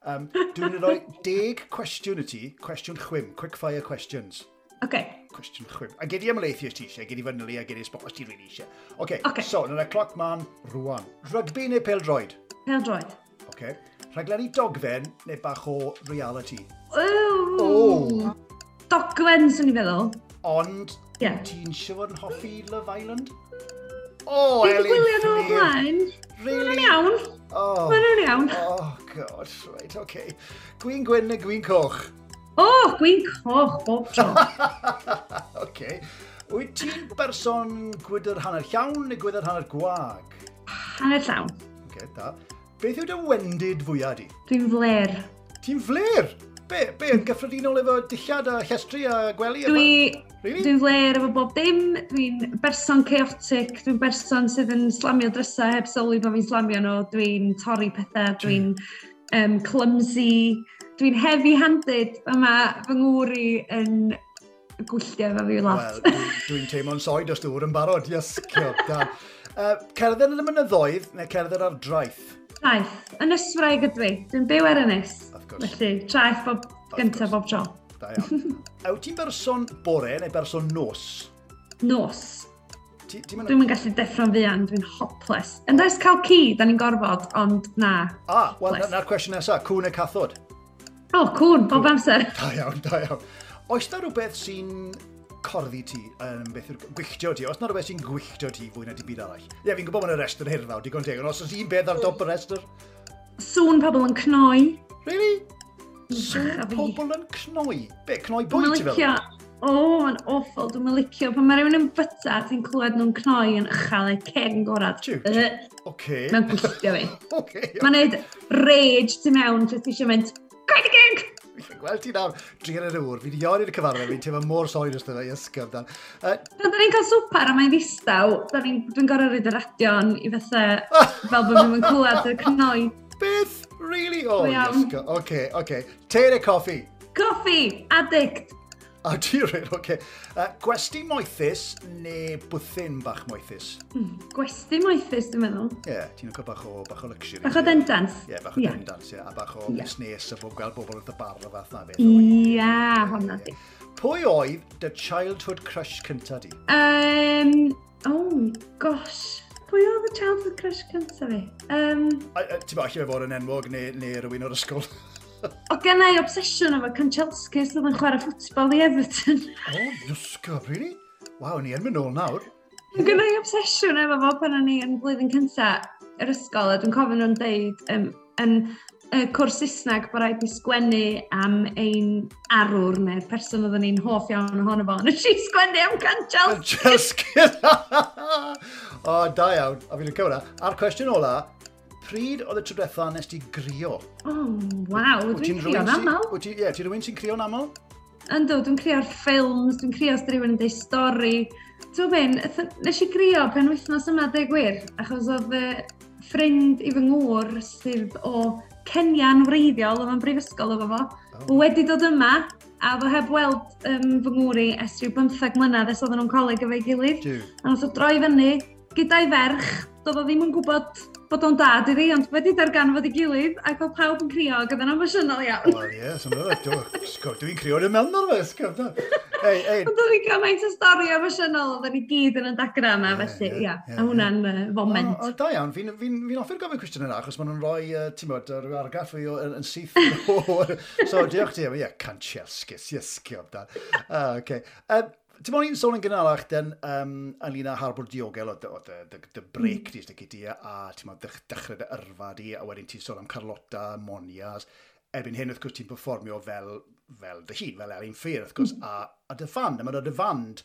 Um, dwi'n rhoi deg cwestiwn i ti, cwestiwn chwim, quick fire questions. Okay. Cwestiwn chwim. A gei di ymhelaethu os ti eisiau, gei di fanylu a gei di spot os ti really eisiau. Okay, okay. So, na'r cloc man rwan. Rygbi neu pêl-droed? Pêl-droed. Okay. Rhaglenni dogfen neu bach o reality? Oh. Oh. Dogfen, swn i'n feddwl. Ond, yeah. Ti'n siŵr fod yn hoffi Love Island? Oh, Elin Fflur. Gwylio nhw o blaen. Really? Maen nhw'n iawn. Oh. Maen nhw'n iawn. Oh, God, right, okay. Gwin gwyn neu gwin coch? Oh, gwin coch, bob tro. Okay. Wyt ti'n berson gwydr hanner llawn neu gwydr hanner gwag? Hanner llawn. Okay, da. Beth yw dy wendid fwyaf di? Dwi'n fler. Ti'n fler? Be, be, yn gyffredinol efo dillad a llestri a gwely? Dwi, really? Dwi'n fler efo bob dim. Dwi'n berson chaotic. Dwi'n berson sydd yn slamio drysau heb sylwi bod fi'n slamio nhw. Dwi'n torri pethau. Dwi'n um, clumsy. Dwi'n heavy-handed. A mae fy ngŵr i yn gwylltio efo fi lot. Wel, dwi'n dwi teimlo'n soi dros dŵr yn barod. Yes, da. Uh, cerdded yn y mynyddoedd neu cerdded ar draeth? Traeth. Ynyswraig ydw i. Dwi'n byw ar ynys. Of course. Felly, traeth bob gyntaf bob tro. Da iawn. A wyt ti'n berson bore neu berson nos? Nos. Ti, ti mynd... Dwi'm yn gallu deffro'n fuan, dwi'n hopeless. Yn ers cael ci, da ni'n gorfod, ond na. Ah, wel, na'r cwestiwn nesaf, cŵn neu cathod? O, oh, cŵn, bob amser. Da iawn, da iawn. Oes na rhywbeth sy'n corddi ti, um, beth yw'r gwylltio ti? Oes na rhywbeth sy'n gwylltio ti fwy na dim byd arall? Ie, yeah, fi'n gwybod bod yna restr hirfawr, digon teg, ond os oes un beth ar dop y restr? Sŵn pobl yn cnoi. Really? Sŵn pobl yn cnoi? Be, cnoi bwyd ti fel? O, oh, mae'n awful, dwi'n licio. Pan mae rhywun yn byta, ti'n clywed nhw'n cnoi yn uchel eu ceg yn gorad. Oce. Mae'n gwylltio fi. Oce. Mae'n neud rage tu mewn, lle ti eisiau mynd, Cau dy geg! Fi'n gweld ti nawr, druan ar y ŵr. Fi wedi iawn i'r cyfarfod, fi'n teimlo mor sori dros dyna, ysgaf dan. Uh, Pan da ni'n cael swper a mae'n ddistaw, dwi'n gorfod rhoid y radio on i fatha, fel bod fi'n clywed y cnoi. Beth? Really? Oh, ysgaf. Oce, oce. Te neu coffi? Coffi! Addict! A ti rhaid, oce. Uh, gwesty moethus neu bwthyn bach moethus? Mm, gwesty moethus, dwi'n meddwl. Ie, yeah, ti'n licio bach o, bach o luxury. Bach o dendans. Ie, yeah, bach o yeah. dendans, ie. Yeah. A bach o yeah. busnes a bob gweld bobl wrth y bar a fath na beth. Ie, yeah, honna di. Pwy oedd dy childhood crush cynta di? Um, oh, gosh. Pwy oedd y childhood crush cynta fi? Um, Ti'n bo, allai fe fod yn enwog neu, neu rhywun o'r ysgol? O gen i obsesiwn efo Kanchelskis oedd yn chwarae ffwtbol i Everton. O, oh, Iesgob, really? Waw, ni yn mynd nôl nawr. Gen i obsesiwn efo fo pan o'n i yn blwyddyn cynta yr ysgol, a dwi'n cofio nhw'n deud um, yn y cwrs Saesneg bod rhaid i sgwennu am ein arwr neu'r person oedden ni'n hoff iawn ohono fo. Nes i sgwennu am Kanchelskis. Kanchelskis! O, da iawn. A fi'n licio hwnna. A'r cwestiwn ola, pryd oedd y tro diwetha nes ti grio? Oh, waw, dwi'n crio'n aml. Wyt ti, ie, ti'n rhywun sy'n crio'n aml? Yndw, dwi'n crio ar ffilms, dwi'n crio os rhywun yn deud stori. Ti'n ben, nes i grio pen wythnos yma, deg gwir, achos oedd ffrind i fy ngŵr sydd o Kenya'n wreiddiol, oedd o'n brifysgol efo fo, oh. wedi dod yma, a oedd o heb weld um, fy ngŵr i ers rhyw bymtheg mlynedd ers oedden nhw'n coleg efo'i gilydd. Duw. A nath o droi fyny gyda'i ferch, doedd o ddim yn gwybod bod o'n dad iddi, ond wedi darganfod ei gilydd, ac oedd pawb yn crio, ac oedd yn emosiynol iawn. Wel, ie, yeah, dwi'n crio yn mewn ar fe, ysgaf. Ei, ei. Ond oedd hi'n gymaint o stori emosiynol, oedden ni gyd yn y dagra yma, felly, ia, a hwnna'n uh, foment. O, o, da iawn, fi'n fi, fi hoffi'r gofyn cwestiwn yna, achos maen nhw'n rhoi, uh, ti'n bod, rhyw argraff fi yn, yn syth. So, diolch ti, ie, Kanchelskis, iesgob, da. Uh, okay. Um, Ti'n bod ni'n sôn yn gynharach den um, ynglyn â harbwr diogel o dy, o dy, dy, dy break mm. di, dy gyd a ti'n bod dechrau dy yrfa di, a wedyn ti'n sôn am Carlotta, Monias. Erbyn hyn, wrth gwrs, ti'n performio fel, fel dy hun, fel Elin Fflur, wrth gwrs, mm. a, a dy fand, a mae'n dy fand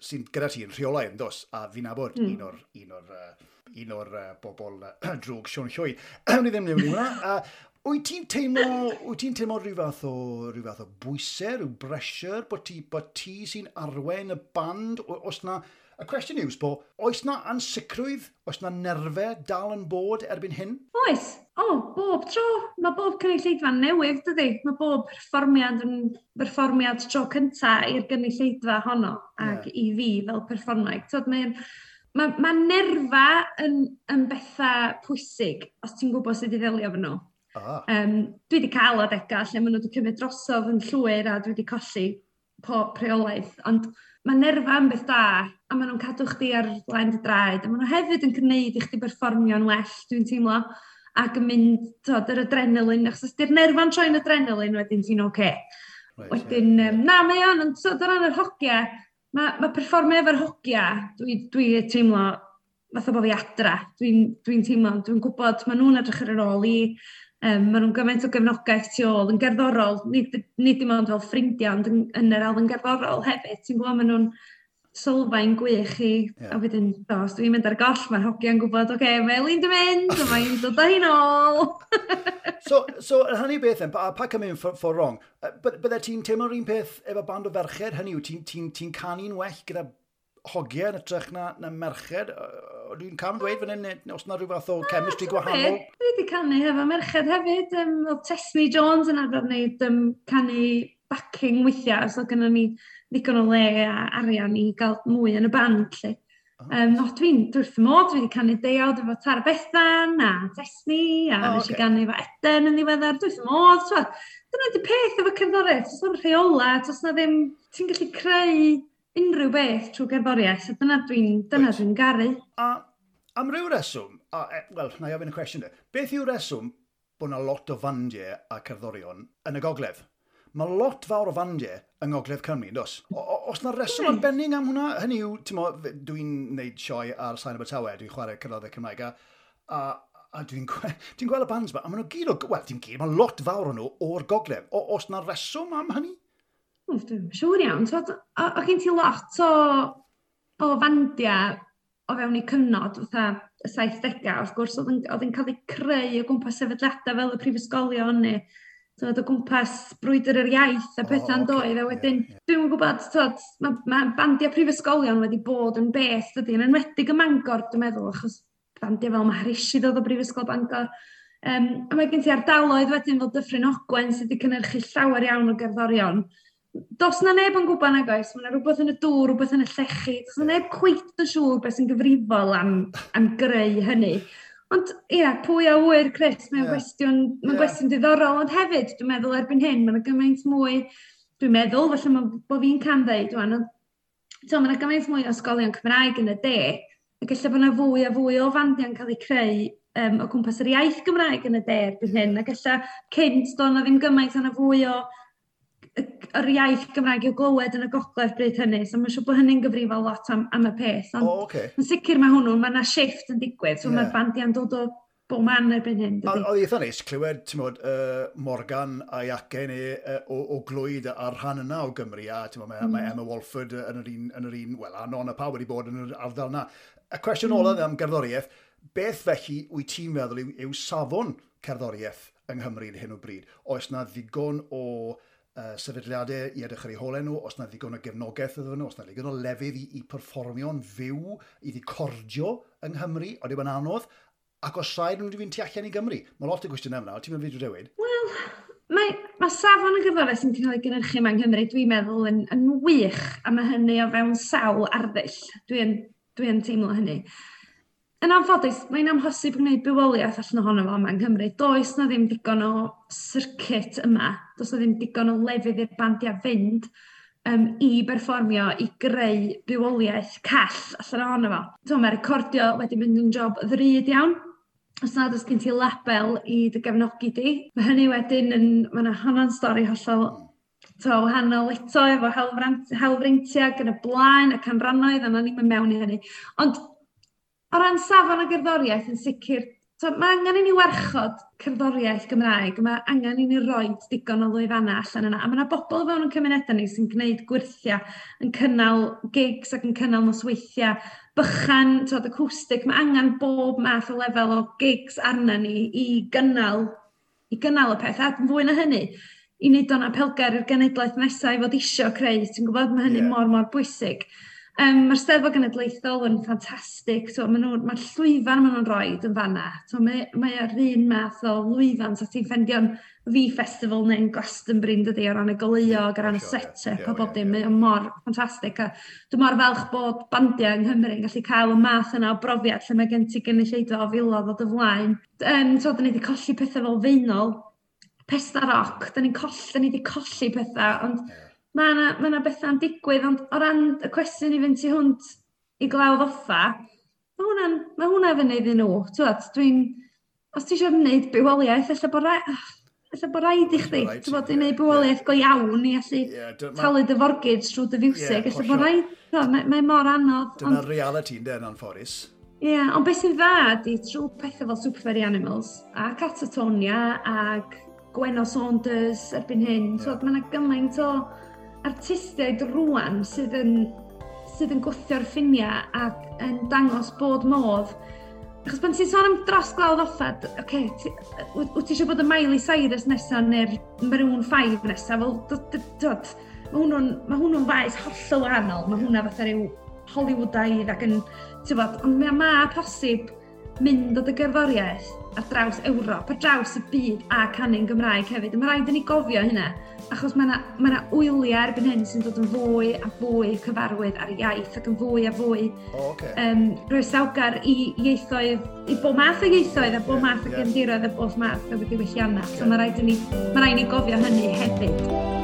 sy'n gyda ti yn rheolaidd, yn dos, a fi'n nabod mm. un o'r, un o'r, uh, un o'r uh, bobl uh, drwg Siôn Llwyd. Ni ddim yn hwnna. Uh, Wyt ti'n teimlo, wyt ti'n teimlo rhyw fath o, rhyw fath o bwysau, rhyw pressure, bod ti, bod ti sy'n arwain y band? Oes na, y cwestiwn yw, sbo, oes na ansicrwydd, oes na nerfau dal yn bod erbyn hyn? Oes. O, oh, bob tro. Mae bob cynulleidfa newydd, dydy. Mae bob perfformiad yn perfformiad tro cynta i'r gynulleidfa honno ac yeah. i fi fel perfformwraig. Tod, mae'n Mae, mae nerfa yn, yn bethau pwysig os ti'n gwybod sut i ddelio efo nhw. Ah. Um, dwi wedi cael adegau lle maen nhw wedi cymryd drosodd yn llwyr a dwi wedi colli pob rheolaeth, ond mae nerfa yn beth da, a maen nhw'n cadw chdi ar flaen dy draed, a maen nhw hefyd yn gwneud i chdi berfformio'n well, dwi'n teimlo, ac yn mynd, tod, yr adrenalin, achos os di'r nerfa'n troi'n adrenalin, wedyn ti'n oce. Okay. Right, Wedyn, ie, um, na, mae o'n, ond so, o ran yr hogia, mae, mae perfformio efo'r hogia, dwi, dwi teimlo fatha bod fi adra. Dwi'n dwi teimlo, dwi'n gwybod, maen nhw'n edrych ar yr ôl i, um, maen nhw'n gymaint o gefnogaeth tu ôl, yn gerddorol, nid, nid dim ond fel ffrindiau, ond yn, yn yr elfen gerddorol hefyd. Ti'n gwybod, maen nhw'n sylfaen gwych i, Ie. a wedyn, do, os dwi'n mynd ar goll, mae'r hogiau'n gwybod, oce, okay, mae Elin di mynd, a mae'n dod â hi nôl. So, so yn hynny beth then, pa, pa come in for, for wrong, uh, bydde ti'n teimlo'r un peth efo band o ferched? Hynny yw, ti'n ti, ti canu'n well gyda hogiau yn hytrach na, na merched? Yy, Dwi'n cam dweud fan hyn, neu os na rhyw fath o chemistry gwahanol? Dwi wedi canu hefo merched hefyd. Um, oedd Tesni Jones yn arfer wneud um, canu backing weithiau, so gynnon ni ddigon o le a arian i gael mwy yn y band. Lle. Um, no, dwi'n dwi wrth fy modd, dwi wedi canu deuawd efo Tara Bethan a Tesni, a O, nes i ocê. ganu efo Eden yn ddiweddar, dwi wrth fy modd. T'wod, dyna di peth efo cerddoriaeth, does na'm rheola, does na ddim, ti'n gallu creu unrhyw beth trwy gerddoriaeth, a dyna dwi'n dyna Reit. dwi'n garu. A am ryw reswm, a, e, wel, na i ofyn y cwestiwn de, beth yw'r reswm bod yna lot o fandiau a cerddorion yn y gogledd? Mae lot fawr o fandiau yng Ngogledd Cymru, dos? O, o, os na reswm Oes. arbennig am hwnna? Hynny yw, ti'n mo, dwi'n neud sioe ar Sain Abertawe, dwi'n chwarae cerddoriaeth Cymraeg, a, a, a dwi'n dwi gweld y bands ma, a maen nhw gyd o, wel, dim gyd, mae lot fawr o nhw o'r gogledd. O, os na reswm am hynny? Ww, dwi'n siŵr iawn. T'wod, o, o gen ti lot o, o fandiau o fewn eu cyfnod, fatha y saithdegau, wrth gwrs, oedd yn, oedd yn cael eu creu o gwmpas sefydliadau fel y prifysgolion neu t'wod, o gwmpas brwydr yr iaith a O, pethau'n ocê, doedd. A ie, wedyn, ie. dwi'n gwybod, t'wod, mae ma bandiau prifysgolion wedi bod yn beth, dydy, yn enwedig ym Mangor, dwi'n meddwl, achos bandiau fel Maharishi ddod o Brifysgol Bangor. Um, a mae gen ti ardaloedd wedyn fel Dyffryn Ogwen sydd wedi cynhyrchu llawer iawn o gerddorion. Does na neb yn gwybod nag oes, mae yna rhywbeth yn y dŵr, rhywbeth yn y llechi, does na neb cweit yn siŵr beth sy'n gyfrifol am, am greu hynny. Ond ia, pwy a ŵyr, Chris, mae'n Ie. gwestiwn, mae'n Ie. gwestiwn diddorol, ond hefyd, dwi'n meddwl erbyn hyn, mae'n gymaint mwy, dwi'n meddwl, falle ma, bo fi'n cam ddeud, wan, ond so, mae yna gymaint mwy o ysgolion Cymraeg yn y de, ac ella bod yna fwy a fwy o fandiau'n cael eu creu um, o gwmpas yr iaith Gymraeg yn y de erbyn hyn, ac ella cynt doedd 'na ddim gymaint, o'na fwy o y- yr iaith Gymraeg i'w glywed yn y gogledd bryd hynny, so mae'n siŵr bod hynny'n gyfrifol lot am, am y peth. O, Ond oce. yn sicr mae hwnnw, mae yna shift yn digwydd, so Ie. mae'r bandiau'n dod o bob man erbyn hyn, A- dydy. Oedd eitha neis clywed, ti'n modd, uh, Morgan a'i acen e uh, o, o Glwyd a'r rhan yna o Gymru, a ti'n modd, mae, mm. mae Emma Walford yn yr un, yn yr un, wel, a Non a pawb wedi bod yn yr ardal yna. Y cwestiwn mm. olaf am gerddoriaeth, beth felly wyt ti'n meddwl yw, yw safon cerddoriaeth yng Nghymru ar hyn o bryd? Oes na ddigon o uh, sefydliadau i edrych ar eu holau nhw, oes na ddigon o gefnogaeth iddyn nhw, oes na ddigon o lefydd i, i perfformio'n fyw, i recordio yng Nghymru, oeddi yn anodd, ac os rhaid nhw'n fynd tu allan i Gymru. Mae lot o gwestiynau fyna, ti'n mynd fi dewid? Wel, mae, mae safon y gerddoriaeth sy'n cael ei gynhyrchu yma yng Nghymru, dwi'n meddwl, yn, yn wych, a mae hynny o fewn sawl arddull. Dwi'n dwi yn teimlo hynny. Yn anffodus, mae'n amhosib gwneud bywoliaeth allan ohono fo yma yng Nghymru. Does na ddim digon o circuit yma. Does na ddim digon o lefydd i'r bandiau fynd um, i berfformio, i greu bywoliaeth call allan ohono fo. So, mae recordio wedi mynd yn job ddrud iawn. Os nad oes gen ti label i dy gefnogi di. Mae hynny wedyn yn, mae yna honno'n stori hollol to, wahanol eto efo hawlfrant- hawlfreintiau ac yn y blaen a canrannoedd, a na ni'n mynd mewn i hynny. Ond o ran safon y gerddoriaeth yn sicr, so, mae angen i ni warchod cerddoriaeth Gymraeg, mae angen i ni roi digon o lwyfannau allan yna. A mae yna bobl fewn yn cymunedau ni sy'n gwneud gwyrthiau, yn cynnal gigs ac yn cynnal nosweithiau bychan, tod, acoustic. Mae angen bob math o lefel o gigs arna ni i gynnal, i gynnal y peth. A fwy na hynny, i wneud o'n apelgar i'r genedlaeth nesaf i fod isio creu. Ti'n gwybod, mae hynny Ie. yeah. mor, mor bwysig. Um, Mae'r Steddfod Genedlaethol yn ffantastig, so, ma nhw, mae'r llwyfan maen nhw'n rhoi yn fanna. So, mae, mae'r un math o lwyfan, so ti'n ffendio'n V Festival neu'n Glastonbury, dydy, o ran y goleuo, o ran y set-up a bob dim. Mae o mor ffantastig. A dwi'n mor falch bod bandiau yng Nghymru yn gallu cael y math yna o brofiad lle mae gen ti gynulleidfa o filoedd o dy flaen. Um, so, da ni wedi colli pethau fel Faenol, Pesda Rock, da ni'n colli, da ni wedi colli pethau, ond mae yna ma 'na bethau'n digwydd, ond o ran y cwestiwn i fynd tu hwnt i Glawdd Offa, mae hwnna'n ma hwnna fyny iddyn nhw. T'wod, dwi'n, os ti eisiau gwneud bywoliaeth, ella bod rai, ella bod rhaid i chdi, t'wod, i wneud bywoliaeth go iawn i allu yeah, talu dy forgage trwy dy fiwsig, ella bod rhaid, mae, mae mor anodd. Dyna'r reality yn den anffodus. Ie, yeah, ond beth sy'n dda ydi trwy pethau fel Super Furry Animals a Catatonia ag Gwenno Saunders erbyn hyn, yeah. T'wod, mae yna gymaint o artistiaid rwan sydd yn, sydd yn gwthio'r ffiniau ac yn dangos bod modd. Achos pan ti'n sôn am dros Glawdd Offa, oce, okay, wyt ti eisiau bod y Miley Cyrus nesaf neu'r Maroon five nesaf, fel, dod, mae hwnnw'n ma hwnnw'n faes hollol wahanol, mae hwnna fatha rhyw Hollywoodaidd ac yn, ti'n bod, ond mae ma posib mynd o dy gerddoriaeth ar draws Ewrop, ar draws y byd a canu'n Gymraeg hefyd. A mae rhaid i ni gofio hynna, achos mae yna ma 'na wyliau erbyn hyn sy'n dod yn fwy a fwy cyfarwydd ar iaith ac yn fwy a fwy oh, okay. um, groesawgar i ieithoedd, i bob math o ieithoedd a bob yeah, math o yeah. gefndiroedd a bob math o ddiwylliannau. So mae rhaid i ni, mae rhaid i ni gofio hynny hefyd.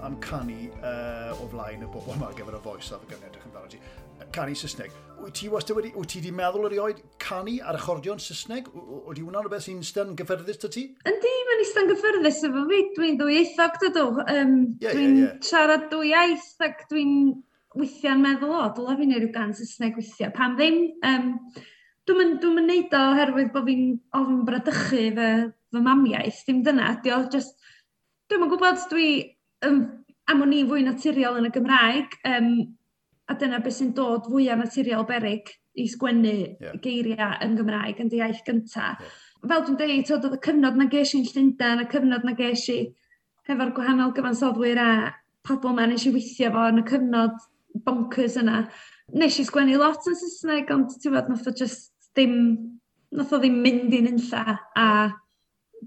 Am canu uh, o flaen y bobl yma ar gyfer y Voice a fe edrych amdano ti. Canu Saesneg. Wyt ti wastad wedi, wyt ti wedi meddwl erioed canu ar acordion Saesneg? Ydy hwnna'n rhywbeth sy'n ystod gyffyrddus 'da ti? Yndi, mae'n eistedd gyffyrddus efo fi. Dwi'n ddwyieithog, dydw. Um, yeah, dwi'n yeah, yeah. siarad dwy iaith ac dwi'n weithiau'n meddwl, o, dylai fi wneud rhyw gan Saesneg weithiau. Pam ddim? Um, dwi'n dwi neud o oherwydd bod fi'n ofn bradychu fy, fy mamiaith. Dim dyna, ydi o, just, dwi'm yn gwybod, dwi um, am o'n i fwy naturiol yn y Gymraeg, um, a dyna beth sy'n dod fwyaf naturiol berig i sgwennu yeah. geiriau yn Gymraeg yn dy iaith gyntaf. Yeah. Fel dwi'n deud, oedd y cyfnod na ges i'n Llundain, y cyfnod na ges i hefo'r gwahanol gyfansoddwyr a pobl ma nes i weithio fo yn y cyfnod bonkers yna. Nes i sgwennu lot yn Saesneg, ond ti'n gwbod, nath o just ddim, nath o ddim mynd i'n unlla, a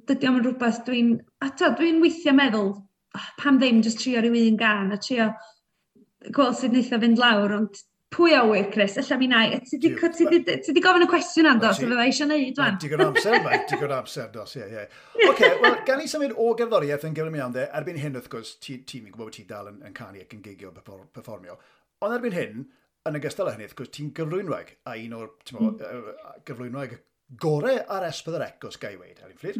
dydy o'm yn rhywbeth dwi'n, a to, dwi'n weithio meddwl, oh, pam ddim just trio rhyw un gan a trio gweld sut wneith o fynd lawr, ond pwy a wyr, Chris, ella mi nai. Ti di, ti di, ti di gofyn y cwestiwn am do, so fydda i eisiau neud wan. Digon amser, mae, digon amser, dos, ie, ie. Oce, wel, gan i symud o gerddoriaeth yn gyflym iawn de, erbyn hyn, wrth gwrs, ti, ti'n gwybod bod ti dal yn, yn canu ac yn gigio perfformio, ond erbyn hyn, yn ogystal â hynny, wrth gwrs, ti'n gyflwynwraig, a un o'r, ti'n mm. gyflwynwraig gore ar S pedwar C, os ga i weud, Elin Fflur.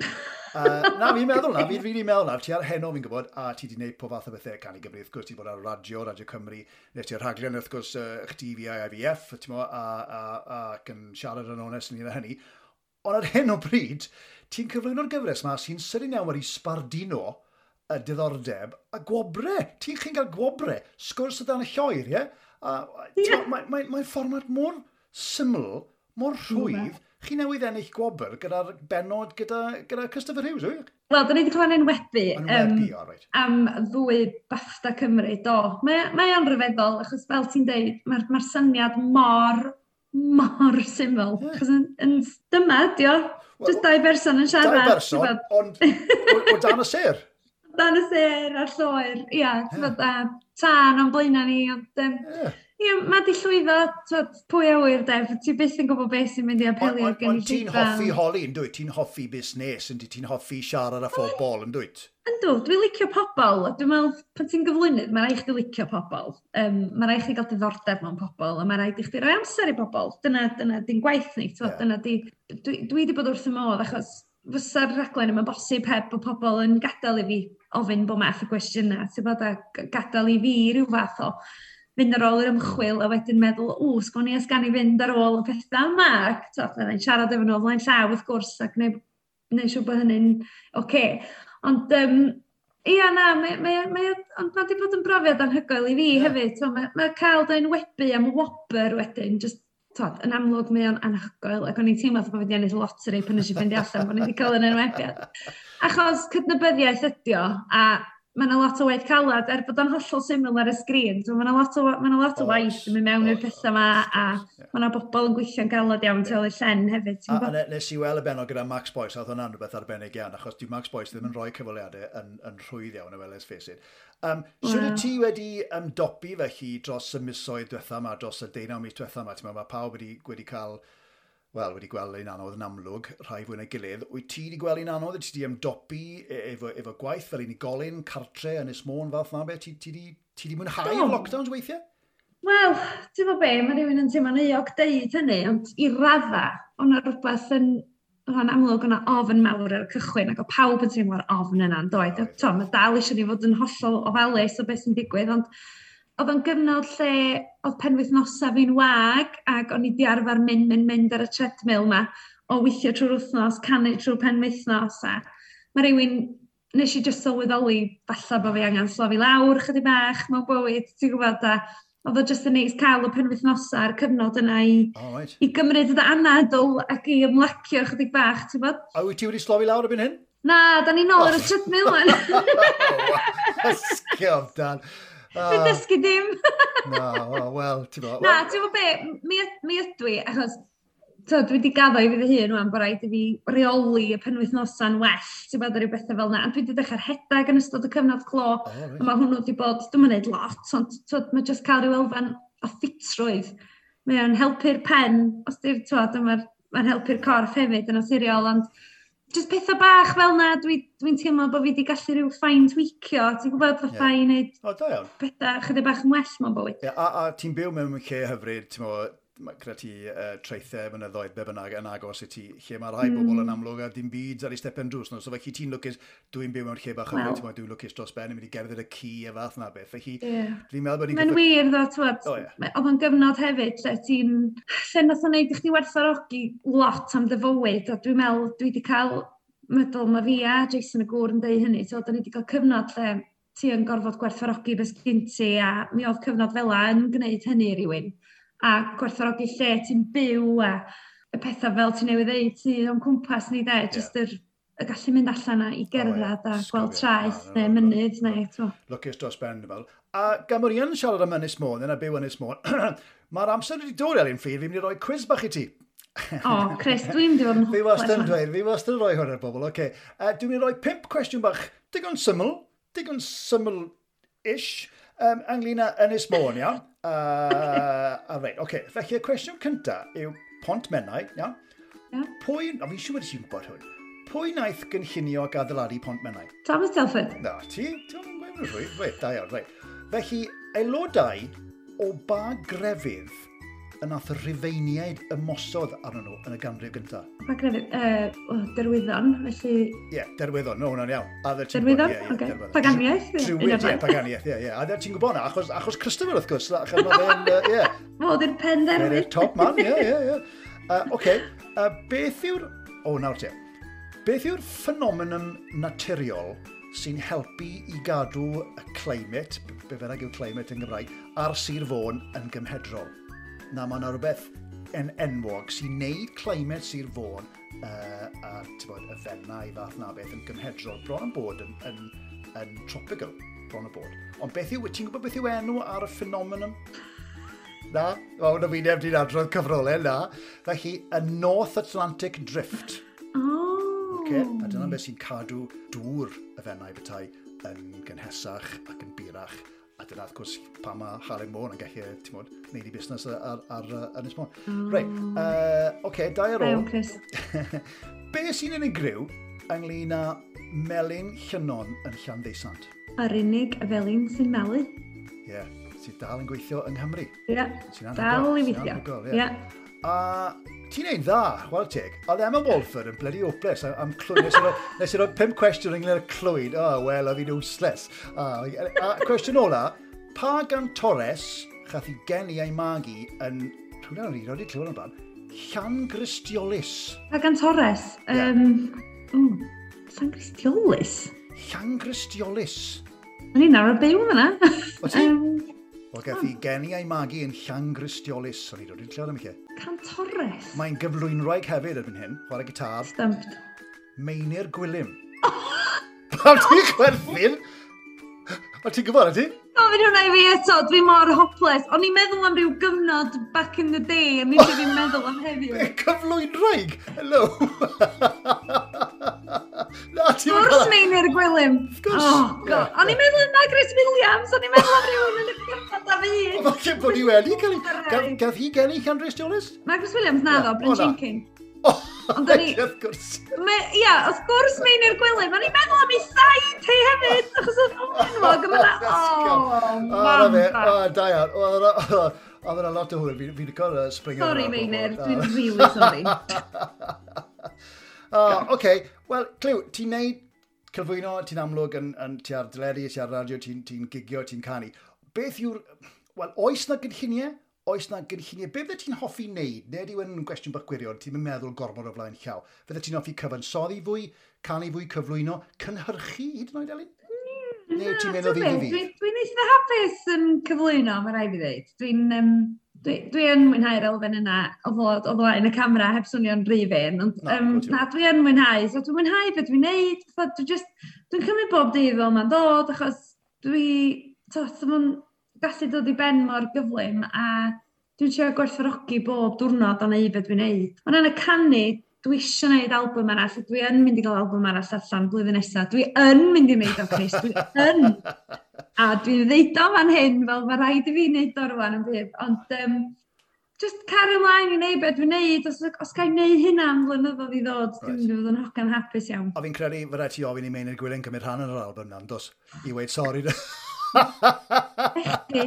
Uh, na, fi'n meddwl na, fi'n rili meddwl na, ti ar Heno fi'n gwybod, a ti wedi gwneud pob fath o bethau Cân i Gymru, wrth gwrs, ti wedi bod ar radio, Radio Cymru, nes ti'r rhaglen, wrth gwrs, uh, chdi fi a I V F, ti'n mo, a, a, a, ac yn siarad yn onest ynglyn â hynny. Ond ar hyn o bryd, ti'n cyflwyno'r gyfres ma sy'n sydyn iawn wedi sbardino y diddordeb a gwobre. Ti'n chi'n cael gwobre, sgwrs o dan y lloer, ie? A, yeah. Mae'n mae, mae fformat mor syml, mor rhwydd. Chi newydd ennill gwobr gyda'r bennod gyda, gyda Christopher Hughes, wyt? Wel, da ni wedi cael ein enwebu, enwebu um, oh, right. am ddwy BAFTA Cymru, do. Mae, mae o'n rhyfeddol, achos fel ti'n deud, mae'r mae syniad mor, mor syml. Yeah. Achos yn, yn, dyma, dio, well, just dau berson yn siarad. Dau berson, ond o, o dan y sêr. O dan y sêr a'r lloer, ia, yeah. A tân o'n blaenau ni, ond... Um, yeah. Ie, mae di llwyddo, twod, pwy a wyr, Def, ti byth yn gwybod beth sy'n mynd i apelio ond gynulleidfa. Ond ti'n hoffi holi, yn dwyt? Ti'n hoffi busnes, yn dwyt? Ti'n hoffi siarad â phobl, yn dwyt? Yndw, dwi'n licio pobl. Dwi'n meddwl, pan ti'n gyflwynydd, mae rhaid chdi licio pobl. Um, mae rhaid chdi gael diddordeb mewn pobl, a mae rhaid i chdi roi amser i pobl. Dyna, dyna di'n gwaith ni, twod, yeah. Dyna di... Dwi, dwi wedi bod wrth y modd, achos fysa'r rhaglen yma'n bosib heb bod pobl yn gadael i fi ofyn bob math o gwestiynau, ti'n bod, a gadael i fi ryw fath o fynd ar ôl yr ymchwil a wedyn meddwl, o, sgwn i os gan i fynd ar ôl y pethau yma. Ac fydda i'n siarad efo nhw o flaen llaw, wrth gwrs, ac gwneud, gwneud siŵr bod hynny'n oce. Okay. Ond, um, Ia, na, mae, mae, mae, ond mae wedi bod yn brofiad anhygoel i fi yeah. hefyd. So, mae, mae cael dy enwebu am wobr wedyn, just, tod, yn amlwg mae o'n anhygoel, ac o'n i'n teimlo fatha bod fi wedi ennill lottery pan nes i ffeindio allan bod ni wedi cael yn enwebiad. Achos cydnabyddiaeth ydi o, a mae yna lot o waith calad, er bod o'n hollol syml ar y sgrin, so mae yna lot o, ma 'na lot o waith yn mynd mewn i'r pethau yma, a mae yna bobl yn gweithio'n galad iawn tu ôl i'r llen hefyd. Ti'n A, a gwbod? ne- nes i weld y benod gyda Max Boyce, a oedd hwnna'n rhywbeth arbennig iawn, achos dyw Max Boyce ddim yn rhoi cyfweliadau yn, yn rhwydd iawn, well, let's face it. Um, Sut wyt ti wedi ymdopi felly dros y misoedd diwetha yma, dros y deunaw mis diwetha yma? Ti'n meddwl, mae pawb wedi, wedi cael, wel, wedi gweld un anodd yn amlwg, rhai fwy na'i gilydd. Wyt ti wedi gweld un anodd? Wyt ti wedi ymdopi e- efo, efo gwaith fel unigolyn, cartre, Ynys Môn, fath na beth? Ti, ti, di, ti di mwynhau'r Do. lockdowns weithiau? Wel, ti'n gwybod be, mae rhywun yn teimlo'n euog deud hynny, ond i radda, o'na rhywbeth yn, o'n amlwg o'na ofn mawr ar y cychwyn, ac o pawb yn teimlo'r ofn yna, yn doedd? Oedd. To, mae dal eisiau ni fod yn hollol ofalus o beth sy'n digwydd, ond oedd o'n gyfnod lle oedd penwythnosau fi'n wag, ac o'n i di arfer mynd, mynd, mynd ar y treadmill ma, o weithio trwy'r wythnos, canu trwy'r penwythnos, a mae rhywun, nes i just sylweddoli falle bod fi angen slofi lawr chydig bach mewn bywyd, ti'n gwybod, a oedd o just yn neis cael y penwythnosau a'r cyfnod yna i, Oh, right. i gymryd y anadl ac i ymlacio chydig bach, ti'n gwybod? A wyt ti wedi slofi lawr erbyn hyn? Na, da ni nôl ar y treadmill wan. Ysgiof, Dan. Dwi'n dysgu dim. Na, o, wel, ti'n bod. Na, ti'n gwybod be, mi, mi ydw i, achos to, dwi wedi gaddo i fi fy hun wan bod rhaid i fi reoli y penwythnosau'n well, ti'n gwybod, ar ryw bethau fel yna. Ond dwi wedi dechrau rhedeg yn ystod y cyfnod clo, Oh, right. a mae hwnnw wedi bod, dwi'm yn neud lot, ond twod, mae just cael rhyw elfen o ffitrwydd. Mae o'n helpu'r pen, os di'r, twod, mae'n mae helpu'r corff hefyd yn naturiol, ond just pethau bach fel na, dwi'n dwi teimlo bod fi wedi gallu rhyw fine tweakio, ti'n gwybod, fatha Ie. i wneud O, da iawn. pethau chydig bach yn well mewn bywyd. Ie, a, a ti'n byw mewn lle hyfryd, ti'n mo, ma- gyda ti uh, traethau, mynyddoedd, be bynnag yn agos i ti, lle mae rhai mm. bobl yn amlwg a dim byd ar ei stepen drws nhw. So felly ti'n lwcus, dwi'n byw mewn lle bach hyfryd, Wel. ti'n mo, dwi'n lwcus dros ben, yn mynd i gerdded y ci a fath na beth. Felly, Ie. fi'n meddwl bod ni'n Mae'n gorfod- wir ddo, twod, O, ie. oedd o'n gyfnod hefyd lle ti'n, lle nath o'n neud i chdi werthfawrogi lot am dy fywyd, a dwi'n meddwl dwi wedi cael, meddwl mae fi a Jason y gŵr yn deud hynny, so da ni wedi cael cyfnod lle ti yn gorfod gwerthfawrogi beth sgyn ti, a mi oedd cyfnod fel 'a yn gwneud hynny i rywun, a gwerthfawrogi lle ti'n byw, a y pethau fel ti'n newydd ddeud, ti o'n cwmpas ni de, jyst yr, y gallu mynd allan a i gerdded a gweld Sgwrio. traeth Na, na, neu na, mynydd neu, t'mo. Lwcus dros ben, dwi'n meddwl. A gan bod ni yn siarad am Ynys Môn, yna byw Ynys Môn, mae'r amser wedi dod, Elin Fflur, fi'n mynd i roi quiz bach i ti. O, Chris, dwi'n mynd i fod yn Fi wastad yn hopeless. dweud, fi wastad yn rhoi hwn ar bobl, oce. Okay. Uh, dwi'n mynd i roi pump cwestiwn bach, digon syml, digon syml-ish, um, ynglyn â Ynys Môn, iawn? Uh, a reit, oce. Okay. Felly y cwestiwn cynta yw Pont Menai, iawn? Ie. Pwy, a fi'n siŵr bod ti'n gwybod hwn, pwy wnaeth gynllunio ac adeiladu Pont Menai? Thomas Telford. Na, ti, ti'n gweud yn rhwy, reit, da iawn, reit. Felly, aelodau o ba grefydd y nath y Rhufeiniaid ymosod arnyn nhw yn y ganrif gyntaf? Pa grefydd? Uh, oh, Derwyddon, felly. Ie, yeah, Derwyddon, no, hwnna'n iawn. A dde ti'n Derwyddon? gwybod, ie, ie, Ocê. Derwyddon. Paganiaeth, ie, Druid, un ie, o'r ddau. paganiaeth, ie, ie. A dde ti'n gwybod na, achos, achos Christopher, wrth gwrs, achos mae fe'n, yy, ie. Fod i'r pen Fe'n derwydd. top man, ie, ie, ie. Uh, Oce, uh, beth yw'r... O, nawr te. Beth yw'r ffenomenon naturiol sy'n helpu i gadw y climate, be bynnag yw climate yn Gymraeg, ar Sir Fôn yn gymhedrol? Na, mae yna rhywbeth yn enwog sy'n neud climate Sir Fôn uh, a ti'n bod, y Fenai fath na beth yn gymhedrol, bron yn bod yn, yn, yn tropical, bron yn bod. Ond beth yw, ti'n gwybod beth yw enw ar y ffenomenon? Na, o, na fi neb di'n adrodd cyfrolau, na. Felly, y North Atlantic Drift. Oh. Okay? A dyna beth sy'n cadw dŵr y Fenai bethau yn gynhesach ac yn burach. A dyna, wrth gwrs, pa mae Halen Môn yn gallu, ti'n modd, wneud i busnes ar, ar, ar uh, Ynys Môn. Oh. Reit, uh, oce, okay, dau ar Da ôl. iawn, Chris. Be sy'n unigryw ynglyn â Melin Llynnon yn Llanddeusant? Yr unig felin sy'n malu. Ie, yeah, sydd dal yn gweithio yng Nghymru. Ie, Sy'n anhygoel, dal i sy'n weithio. anhygoel, ie. Ie. A ti'n neud dda, chwarae teg. Oedd Emma Walford yn bloody hopeless am, am clwyd. Nes i roi, nes i roi pump cwestiwn ynglyn â clwyd. Oh, wel, oedd hi'n useless. A, a cwestiwn ola, pa gantores chath i geni a'i magu yn, rhywle o'n i wedi clywed o'n blaen, Llangristiolus. Pa gantores? Ie. Um, mm, Llangristiolus? Llangristiolus. O'n i'n arfer byw yna. O ti? Um, Wel, gath hi geni a'i magu yn Llangristiolus, o'n i dod i'n clywed am lle. Cantores. Mae'n gyflwynwraig hefyd erbyn hyn, chwarae gitar. Stumped. Meinir Gwilym. Pam ti'n chwerthin? O, ti'n gwybod, ti? Gofyn hwnna i fi eto, dwi mor hopeless. O'n i'n meddwl am ryw gyfnod back in the day, a nes i ddim meddwl am heddiw. Cyflwynwraig? Hello! Na, ti'n Wrth cael... Meinir Gwilym. Of course. Oh, God. O'n i'n meddwl am Margaret Williams, o'n i'n meddwl am rhywun yn y cyfnod a fi. Falle bod hi wedi cael ei... Gath hi geni Llanrhistiolus? Margaret Williams, na ddo, Bryn Jenkins. Ond o'n i... Wrth gwrs. Ia, wrth gwrs Meinir Gwilym. O'n i'n meddwl am ei said hi hefyd, achos oedd o'n enwog. A mae'n... Oh, mam. O, da iawn. Oedd yna lot o hwyl. Fi'n licio'r spring. Sorry, Meinir. Dwi'n really sorry. Oce. Wel, Clyw, ti'n neud cyflwyno, ti'n amlwg yn, yn ti ar deledu, ti ar radio, ti'n ti gigio, ti'n canu. Beth yw'r... Wel, oes na gynlluniau? Oes na gynlluniau? Be fydde ti'n hoffi wneud? Neu yw yn gwestiwn bach gwirion, ti'n meddwl gormod o flaen llaw. Fydde ti'n hoffi cyfansoddi fwy, canu fwy, cyflwyno, cynhyrchu hyd yn oed, Elin? Mm, Neu ti'n mynd o ddydd i ddydd? Dwi'n eitha hapus yn cyflwyno, mae rhaid fi ddweud. Dwi'n um, dwi, dwi yn mwynhau'r elfen yna o fod o flaen y camera heb swnio'n rhy fên. Ond na, um, na, dwi yn mwynhau. So dwi'n mwynhau beth dwi'n neud. Dwi just, dwi'n cymryd bob dydd fel mae'n dod, achos dwi... To, so gallu dod i ben mor gyflym a dwi'n trio gwerthfawrogi bob diwrnod o neud beth dwi'n neud. Ond yn y canu, dwi eisiau neud album arall, a dwi yn mynd i gael album arall allan blwyddyn nesaf. Dwi yn mynd i wneud o, Chris, dwi yn. A dwi'n ddeud o fan hyn, fel mae rhaid i fi wneud o rwan yn bydd. Ond um, just cario ymlaen i wneud beth dwi'n neud, os, os ga i wneud hynna am flynyddoedd i ddod, dwi'n mynd i fod yn hogan hapus iawn. A fi'n credu fy rhaid ti ofyn i Meinir Gwilym cymryd rhan yn yr album na, dos, i weud sori. Echdi.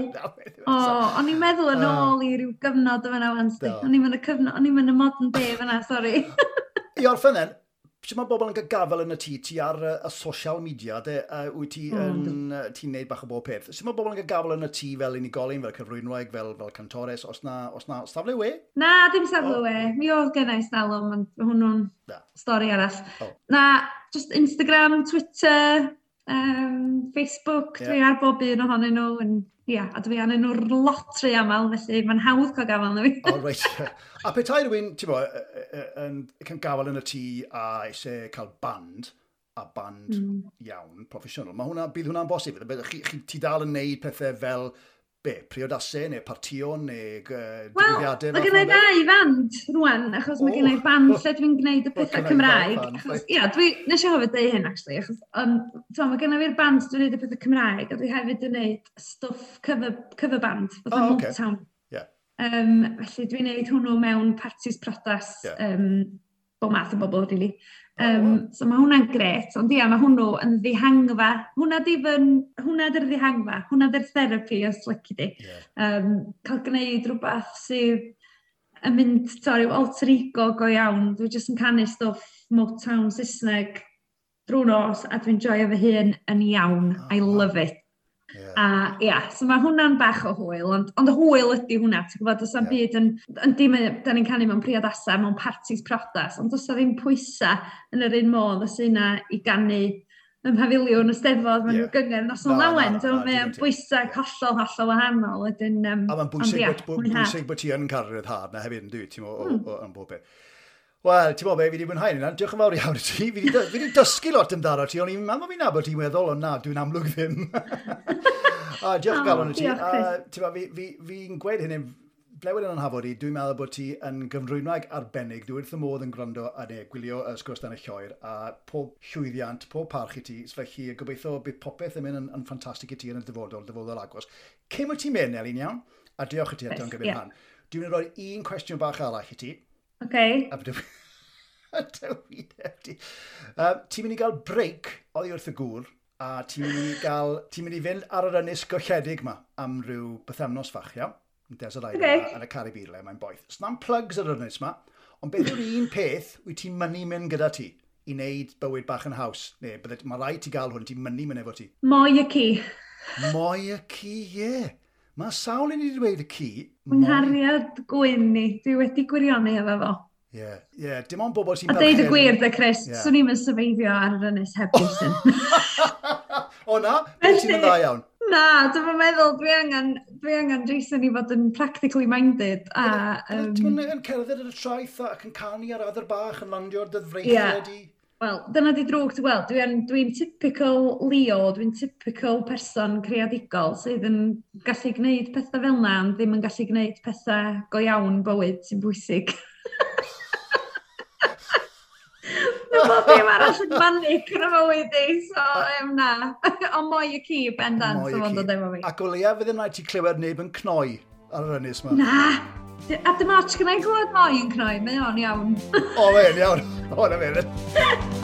O, o'n i'n meddwl yn ôl i ryw gyfnod o fan'na wan. O'n i'n mynd y cyfnod, o'n i'n mynd y modern day fan'na, sori. I orffen then, sut mae bobl yn cael gafel yn y tŷ, ti ar y social media, de, uh, wyt ti yn, ti'n neud bach o bob peth. Sut mae bobl yn cael gafel yn y tŷ fel unigolyn, fel cyflwynwraig, fel, fel cantores, os na, os na safle we? Na, dim safle we. Mi oedd gen i stalwm, ond hwnnw'n stori arall. Oh. Na, just Instagram, Twitter, um, Facebook, yeah. Dwi ar bob un ohonyn nhw, yn, ia, a dwi arnyn nhw'r lot rhy aml, felly mae'n hawdd cael gafel na fi. Oh, reit. A petai rhywun, ti'n bo, yn cael gafel yn y tŷ a eisiau cael band, a band mm. iawn, proffesiynol, mae hwnna, bydd hwnna'n bosib. Chi, chi, ti dal yn neud pethau fel, be, priodasau neu partïon neu uh, digwyddiadau? Wel, mae gen i ddau fand rwan, achos oh. mae gen i band lle dwi'n gwneud y pethau Cymraeg. Achos, ia, dwi, nes i hefyd dweud hyn, actually, achos um, to, mae gen i fi'r band dwi'n gwneud y pethau Cymraeg, a dwi hefyd yn gwneud stwff cover, cover band, fatha oh, okay. Motown. Yeah. Um, felly dwi'n gwneud hwnnw mewn parties priodas, yeah. um, bob math o bobl, really. Um, oh, wow. So mae hwnna'n gret, ond ia, mae hwnnw yn ddihangfa. Hwnna di fy, hwnna di'r ddihangfa, hwnna di'r therapi os lici di. Yeah. Um, cael gwneud rhywbeth sydd yn mynd, to, ryw alter ego go iawn. Dwi jyst yn canu stwff Motown Saesneg drwy nos a dwi'n joio fy hun yn iawn. Oh, I wow. love it. Yeah. A ia, so mae hwnna'n bach o hwyl, ond, ond hwyl ydy hwnna, ti'n gwybod, does na'm Yeah. byd yn, yn dim, da ni'n canu mewn priodasau, mewn parties priodas, ond does 'na ddim pwysa yn yr un modd os yna i ganu ym mhafiliwn y Steddfod, mewn Yeah. yeah. gyngerdd noson Na, na, lawen, na, so na, mae digon o'n teg. bwysau hollol, hollol wahanol, wedyn, um, A mae'n ond bwysig, ia, bod, bod, mwynhad. bwysig bod ti yn cael rhyddhad na hefyd yn dwi, ti'n mo, o, Mm. o, yn bob peth. Wel, ti'n mo be, fi wedi mwynhau hynna, diolch yn fawr iawn i ti. Fi wedi dysgu lot amdano ti, o'n i'n meddwl fi'n nabod ti'n weddol, ond na, dwi'n amlwg ddim. A diolch o O, galon i ti. diolch, A, Chris. ti'n mo, fi, fi, fi'n gweud hynny, blewyn yn anhafod i, dwi'n meddwl bod ti yn gyflwynwraig arbennig. Dwi wrth y modd yn gwrando a neu gwylio y sgwrs dan y lloer, a pob llwyddiant, pob parch i ti, felly gobeithio bydd popeth yn mynd yn, yn ffantastig i ti yn y dyfodol, dyfodol agos. Cyn wyt ti'n mynd, Elin, iawn? A diolch i ti eto yn Yes, gymryd ie. rhan. Dwi'n mynd i roi un cwestiwn bach arall i ti. Okay. A dwi... A dwi ti. Uh, ti'n mynd i gael break oddi wrth y gŵr, a ti'n mynd i gael, ti'n mynd i fynd ar yr ynys golledig ma am ryw bythefnos fach, iawn? Yn Desert Island Ocê. okay. yn y Caribî le, mae'n boeth. Sna'm plugs ar yr ynys ma, ond beth yw'r un peth wyt ti'n mynnu mynd gyda ti i wneud bywyd bach yn haws? Neu, bydde, mae rhaid ti gael hwn, ti'n mynnu mynd efo ti. Moi y ci. Moi y ci, ie. Yeah. Mae sawl un i wedi dweud y ci. Fy nghariad gwyn ni, dwi wedi gwirioni efo fo. Ie, yeah. yeah. Dim ond bobl sy'n A deud y gwir, de Chris, yeah. swn i'n survivio ar yr ynys heb Jason. O na? Beth ti'n mynd dda iawn? Na, dwi'n meddwl, dwi angen, dwi angen Jason i fod yn practically minded. A, um... Ti'n mynd yn cerdded ar y traeth ac yn canu ar adar bach yn landio ar dy freichiau yeah. di? Wel, dyna di drwg, ti'n gweld, dwi'n dwi typical Leo, dwi'n typical person creadigol sydd yn gallu gwneud pethau fel na, ond ddim yn gallu gwneud pethau go iawn bywyd sy'n bwysig. Mae bob dim arall yn manic yn y mywyd i, so um, na. Ond moi y ci, bendant, so fo'n dod efo fi. Ac o leia fydd yn rhaid ti clywed neb yn cnoi ar yr ynys yma. Na! A dim ots gyda i glywed moi yn cnoi, mae o'n iawn. O, mae'n iawn. O, na fe.